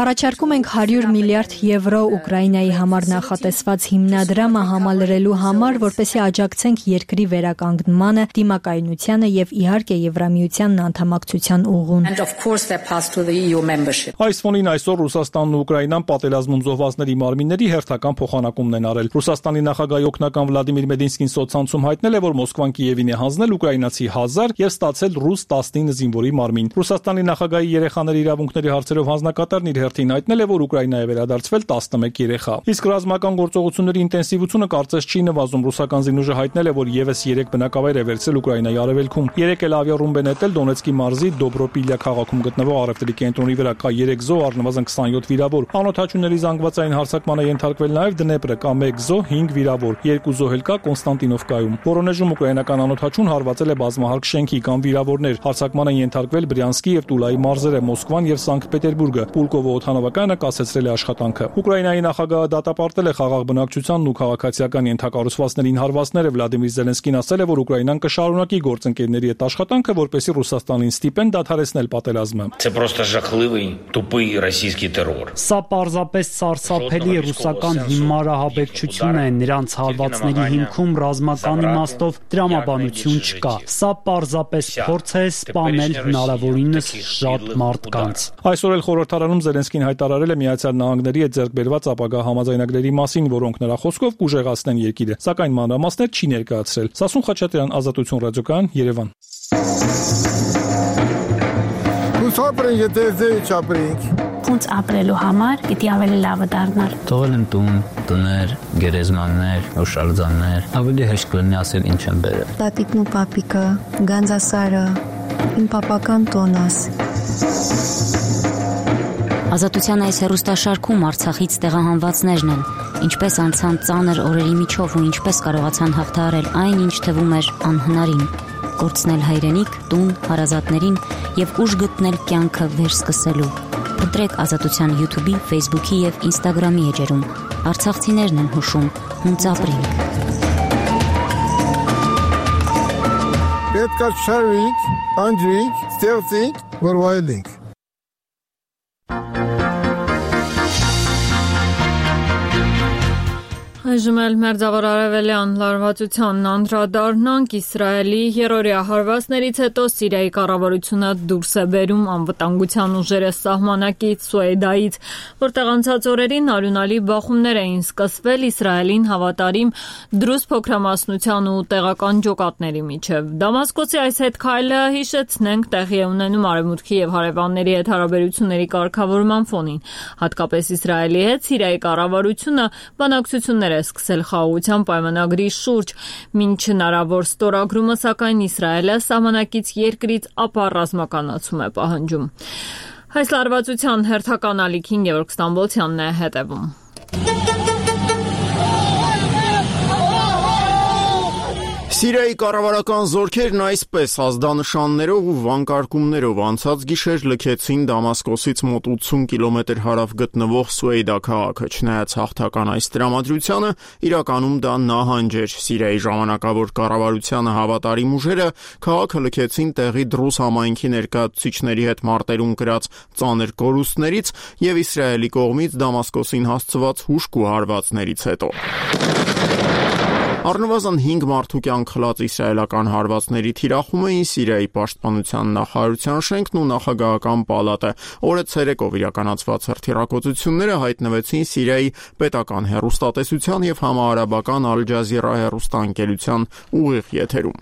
S6: Առաջարկում ենք 100 միլիարդ եվրո Ուկրաինայի համար նախատեսված հիմնադրամը համալրելու համար, որպեսզի աջակցենք երկրի վերականգնմանը, դիմակայունությանը եւ իհարկե Եվրամիությանն անդամակցության ուղուն։
S16: Այս ֆոնին այսօր Ռուսաստանն ու Ուկրաինան պատերազմում զոհվածների մարմինների հերթական փոխանակումն են արել։ Ռուսաստանի նախագահի օգնական Վլադիմիր Մեդինսկին սոցցանցում հայտնել է, որ Մոսկվան Կիևին է հանձնել ուկրաինացի 1000 եւ ստացել ռուս 19 զինվորի մարմին։ Ռուսաստանի նախագահի երեխաների իրավունքների հարցերով հանձնակատարն իր հերթին հայտնել է, որ Ուկրաինա է վերադարձվել 11 երեխա։ Իսկ ռազմական գործողությունների ինտենսիվությունը կարծես չի նվազում։ Ռուսական զինուժը հայտնել է, որ եւս 3 բնակավայր է վերցրել Ուկրաինայի արևելքում։ Երեկ էլ ավիառումբ է նետել Դոնեցկի մարզի Դոբրոպիլյա քաղաքում գտնվող առևտրի կենտրոնի վրա, կա 3 զոհ, առնվազն 27 վիրավոր։ Անօթաչուների զանգվածային հարձակման է ենթարկվել նաեւ Դնեպրը, կա 1 զոհ, 5 վիրավոր, 2 զոհ էլ կա Կոնստանտինովկայում։ Վորոնեժում ուկրաինական անօթաչուն հարվածել է բազմահարկ շենքի, կան վիրավորներ։ Հարձակման են ենթարկվել Բրյանսկի եւ Տուլայի մարզերը, Մոսկվան եւ Սանկտ Պետերբուրգը։ Պուլկովը օդանավակայանը կասեցրել է աշխատանքը։ Ուկրաինայի նախագահը դատապարտել է խաղաղ բնակչությանն ու քաղաքացիական ենթակառուցվածքներին հարվածները։ Վլադիմիր Զելենսկին ասել է, որ Ուկրաինան կշարունակի գործընկերների հետ աշխատանքը, որպեսզի Ռուսաստանին ստիպեն դադարեցնել պատերազմը։
S3: Սա պարզապես սարսափելի ռուսական հիմարահաբեկչություն է, նրանց հարվածների հիմքում ռազմական իմաստով տրամաբանություն չկա։ Սա պարզապես փորձ է սպանել հնարավորինս շատ մարդկանց։
S16: Այսօր էլ խորհրդարանում Զելենսկին հայտարարել է Միացյալ Նահանգների հետ ձեռք բերված ապագա համաձայնագրերի մասին, որոնք նրա խոսքով կուժեղացնեն երկիրը, սակայն մանրամասներ չի ներկայացրել։ Սասուն Խաչատրյան, Ազատություն ռադիոկայան, Երևան։
S8: Սապրեն եթե չապրենք։
S9: Ոնց ապրելու համար պիտի ավելի լավը դառնալ։
S24: Թողել եմ տուն, տներ, գերեզմաններ, օշալձաններ, ավելի հեշտ կլինի ասել ինչ եմ բերել։
S25: Տատիկն ու պապիկը, Գանձասարը, իմ պապական տոնաս։
S9: Ազատության այս հեռուստաշարքում Արցախից տեղահանվածներն են, ինչպես անցան ծանր օրերի միջով ու ինչպես կարողացան հաղթահարել այն, ինչ թվում էր անհնարին, կորցնել հայրենիք, տուն, հարազատներին եւ ուժ գտնել կյանքը վերսկսելու։ Ընտրեք Ազատության YouTube-ի, Facebook-ի եւ Instagram-ի էջերում։ Արցախցիներն են հուշում, հունց ապրենք։
S8: Պետք է շարվենք, անջրենք, ստեղծենք, որ վայելենք։
S1: Այժմ էլ մերձավոր արևելյան լարվածությանն անդրադառնանք Իսրայելի երրորդյա հարվածներից հետո Սիրիայի կառավարությունը դուրս է բերում անվտանգության ուժերը սահմանակից Սուեդայից, որտեղ անցած օրերին արյունալի բախումներ էին սկսվել Իսրայելին հավատարիմ դրուզ փոքրամասնության ու տեղական ջոկատների միջև։ Դամասկոսի այս հետքայլը հիշեցնենք տեղի է ունենում արևմուտքի եւ հարևանների հետ հարաբերությունների կարգավորման ֆոնին, հատկապես Իսրայելի հետ Սիրիայի կառավարությունը բանակցություններ սկսել խաղաղության պայմանագրի շուրջ, մինչ հնարավոր ստորագրումը, սակայն Իսրայելը սահմանակից երկրից ապա ռազմականացում է պահանջում։ Այս լարվածության հերթական ալիքին Գևորգ Ստամբոլցյանն է հետևում։
S5: Սիրիայի կառավարական զորքերն այսպես ազդանշաններով ու վանկարկումներով անցած գիշեր լքեցին Դամասկոսից մոտ 80 կիլոմետր հարավ գտնվող Սուեյդա քաղաքը։ Չնայած հաղթական այս տրամադրությանը, իրականում դա նահանջ էր։ Սիրիայի ժամանակավոր կառավարությանը հավատարիմ ուժերը քաղաքը լքեցին տեղի դրուզ համայնքի ներկայացուցիչների հետ մարտերում կրած ծանր կորուստներից եւ Իսրայելի կողմից Դամասկոսին հասցված հուժկ ու հարվածներից հետո։ Առնվազն 5 մարդու կյանք խլած իսրայելական հարվածների թիրախում էին Սիրիայի պաշտպանության նախարարության շենքն ու նախագահական պալատը։ Օրը ցերեկով իրականացված հրթիռակոծությունները հայտնվեցին Սիրիայի պետական հեռուստատեսության եւ համահարաբական Ալ Ջազիրա հեռուստաընկերության ուղիղ եթերում։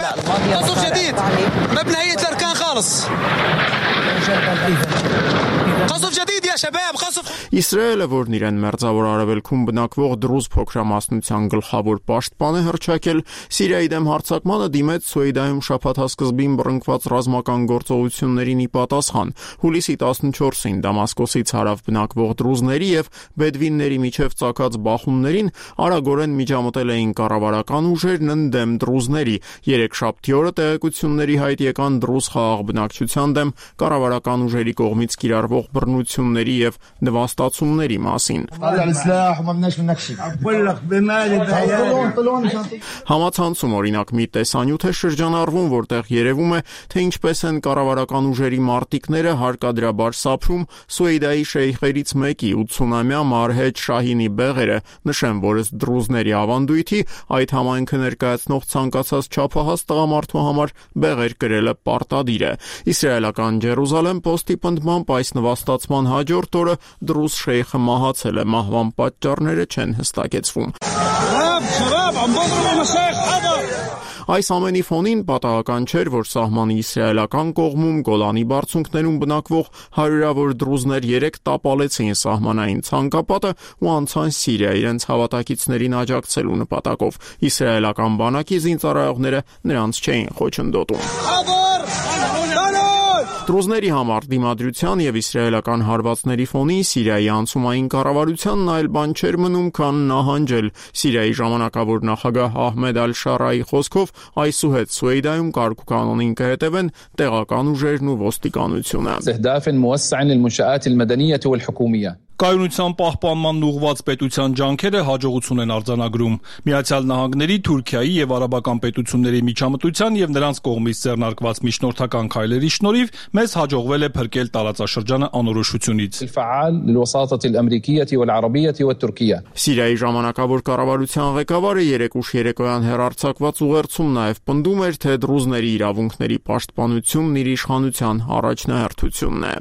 S5: Իսրայելը, որն իրեն մերձավոր արևելքում բնակվող դրուզ փոքրամասնության գլխավոր պաշտպան է հռչակել, Սիրիայի դեմ հարձակմանը դիմեց Սուեդայում շաբաթասկզբին բռնկված ռազմական գործողություններին ի պատասխան։ Հուլիսի 14-ին Դամասկոսից հարավ բնակվող դրուզների եւ բեդվինների միջև ծագած բախումներին արագորեն միջամտել էին կառավարական ուժերն ընդդեմ դրուզների։ Երեքշաբթի օրը տեղեկությունների հայտ եկան դրուզ խաղաղ բնակչության դեմ կառավարական ուժերի կողմից կիրառվող բռնությունների եւ նվաստացումների մասին։ Համացանցում օրինակ մի տեսանյութ է շրջանառվում, որտեղ երևում է, թե ինչպես են կառավարական ուժերի մարտիկները հարկադրաբար սափրում Սուեդայի շեյխերից մեկի 80-ամյա Մարհեջ Շահինի բեղերը, նշեմ, որ ըստ դրուզների ավանդույթի այդ համայնքը ներկայացնող ցանկացած չափահաս տղամարդու համար բեղեր կրելը պարտադիր է։ Իսրայելական Ջերուսալեմ Պոստի պնդմամբ այս նվաստացման հաջորդ օրը դրուզ շեյխը մահացել է, մահվան պատճառները չեն հստակեցվում։ Այս ամենի ֆոնին պատահական չէր, որ սահմանի իսրայելական կողմում Գոլանի բարձունքներում բնակվող հարյուրավոր դրուզներ 3 տապալեցին սահմանային ցանկապատը ու անցան Սիրիա իրենց հավատակիցներին աջակցելու նպատակով։ Իսրայելական բանակի զինծառայողները նրանց չէին խոչընդոտում։ Դրուզների համար դիմադրության եւ իսրայելական հարվածների ֆոնին Սիրիայի անցումային կառավարությանն այլ բան չէր մնում, քան նահանջել։ Սիրիայի ժամանակավոր նախագահ Ահմեդ Ալ-Շարայի խոսքով այսուհետ Սուեդայում կարգուկանոնին կհետևեն տեղական ուժերն ու ոստիկանությունը։
S16: Կայունության պահպանման ուղղված պետության ջանքերը հաջողություն են արձանագրում։ Միացյալ Նահանգների, Թուրքիայի եւ արաբական պետությունների միջամտության եւ նրանց կողմից ձեռնարկված միջնորդական քայլերի շնորհիվ մեզ հաջողվել է փրկել տարածաշրջանը անորոշությունից։
S5: Սիրիայի ժամանակավոր կառավարության ղեկավարը երեկուշ երեկոյան հեռարձակված ուղերձում նաեւ պնդում էր, թե դրուզների իրավունքների պաշտպանությունն իր իշխանության առաջնահերթությունն է։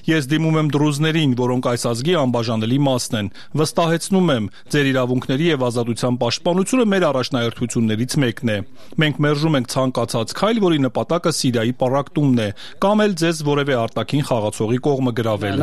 S16: Ես դիմում եմ դրուզներին, որոնք այս ազգի անբաժանելի մասն են։ Վստահեցնում եմ, ձեր իրավունքների եւ ազատության պաշտպանությունը մեր առաջնահերթություններից մեկն է։ Մենք մերժում ենք ցանկացած քայլ, որի նպատակը Սիրիայի պառակտումն է, կամ էլ ձեզ որևէ արտաքին խաղացողի կողմը գրավել։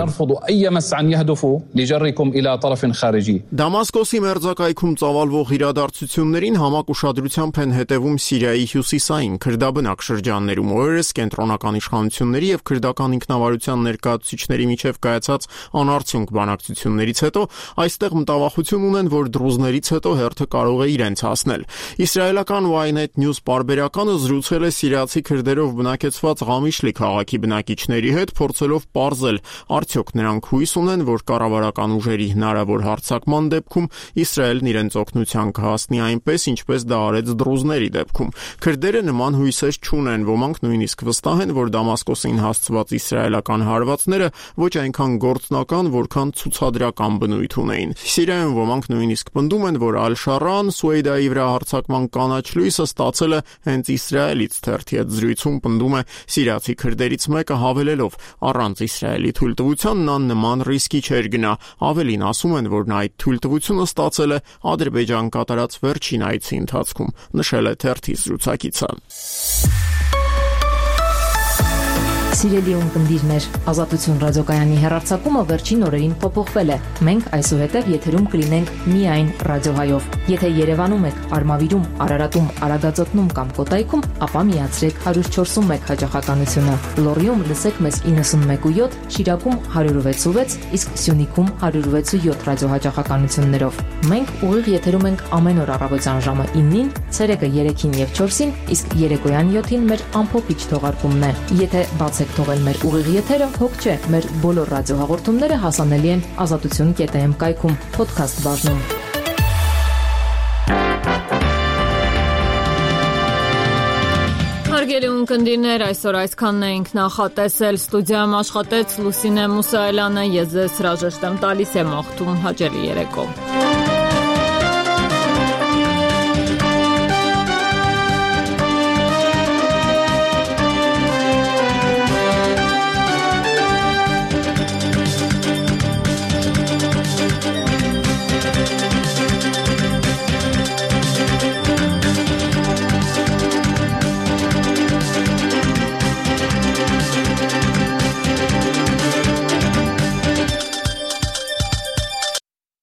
S5: Դամասկոսի մերձակայքում ծավալվող իրադարձություններին համակ ուշադրությամբ են հետևում Սիրիայի հյուսիսային քրդաբնակ շրջաններում։ Օրերս կենտրոնական իշխանությունների եւ քրդական ինքնավարության ներկայացուցիչների ներկայացուցիչների միջև կայացած անարդյունք բանակցություններից հետո այստեղ մտավախություն ունեն, որ դրուզներից հետո հերթը կարող է իրենց հասնել։ Իսրայելական Ynet News պարբերականը զրուցել է սիրիացի քրդերով բնակեցված Ղամիշլի քաղաքի բնակիչների հետ, փորձելով պարզել, արդյոք նրանք հույս ունեն, որ կառավարական ուժերի հնարավոր հարձակման դեպքում Իսրայելն իրենց օգնության կհասնի այնպես, ինչպես դա արեց դրուզների դեպքում։ Քրդերը նման հույսեր չունեն, ոմանք նույնիսկ վստահ են, որ Դամասկոսին հասցված իսրայելական հարվածները ոչ այնքան գործնական, որքան ցուցադրական բնույթ ունեին։ Սիրիայում ոմանք նույնիսկ պնդում են, որ Ալ-Շարան Սուեյդայի վրա հարձակման կանաչ լույսը ստացել է հենց Իսրայելից։ Թերթի հետ զրույցում պնդում է սիրիացի քրդերից մեկը, հավելելով. առանց Իսրայելի թույլտվության նա նման ռիսկի չէր գնա։ Ավելին ասում են, որ նա այդ թույլտվությունը ստացել է Ադրբեջան կատարած վերջին այցի ընթացքում, նշել է թերթի զրուցակիցը։
S4: Սիրելի ունկնդիրներ, Ազատություն ռադիոկայանի հեռարձակումը վերջին օրերին փոփոխվել է։ Մենք այսուհետև եթերում կլինենք միայն ռադիոհայով։ Եթե Երևանում եք, Արմավիրում, Արարատում, Արագածոտնում կամ Կոտայքում, ապա միացրեք 104.1 հաճախականությունը։ Լոռիում լսեք մեզ 91.7, Շիրակում 106.6, իսկ Սյունիքում 106.7 ռադիոհաճախականություններով։ Մենք ուղիղ եթերում ենք ամեն օր առավոտյան ժամը 9-ին, ցերեկը 3-ին եւ 4-ին, իսկ երեկոյան 7-ին մեր ամփոփիչ թողարկումն է։ Եթե բացեք թողել մեր ուղիղ եթերը, հոգ չէ, մեր բոլոր ռադիոհաղորդումները հասանելի են azatutun.am կայքում, podcast բաժնում։
S1: Հարգելի ունկնդիրներ, այսօր այսքանն էինք նախատեսել։ Ստուդիայում աշխատեց Լուսինե Մուսայելյանը, ես ձեզ հրաժեշտ եմ տալիս եմ աղթում հաճելի երեկո։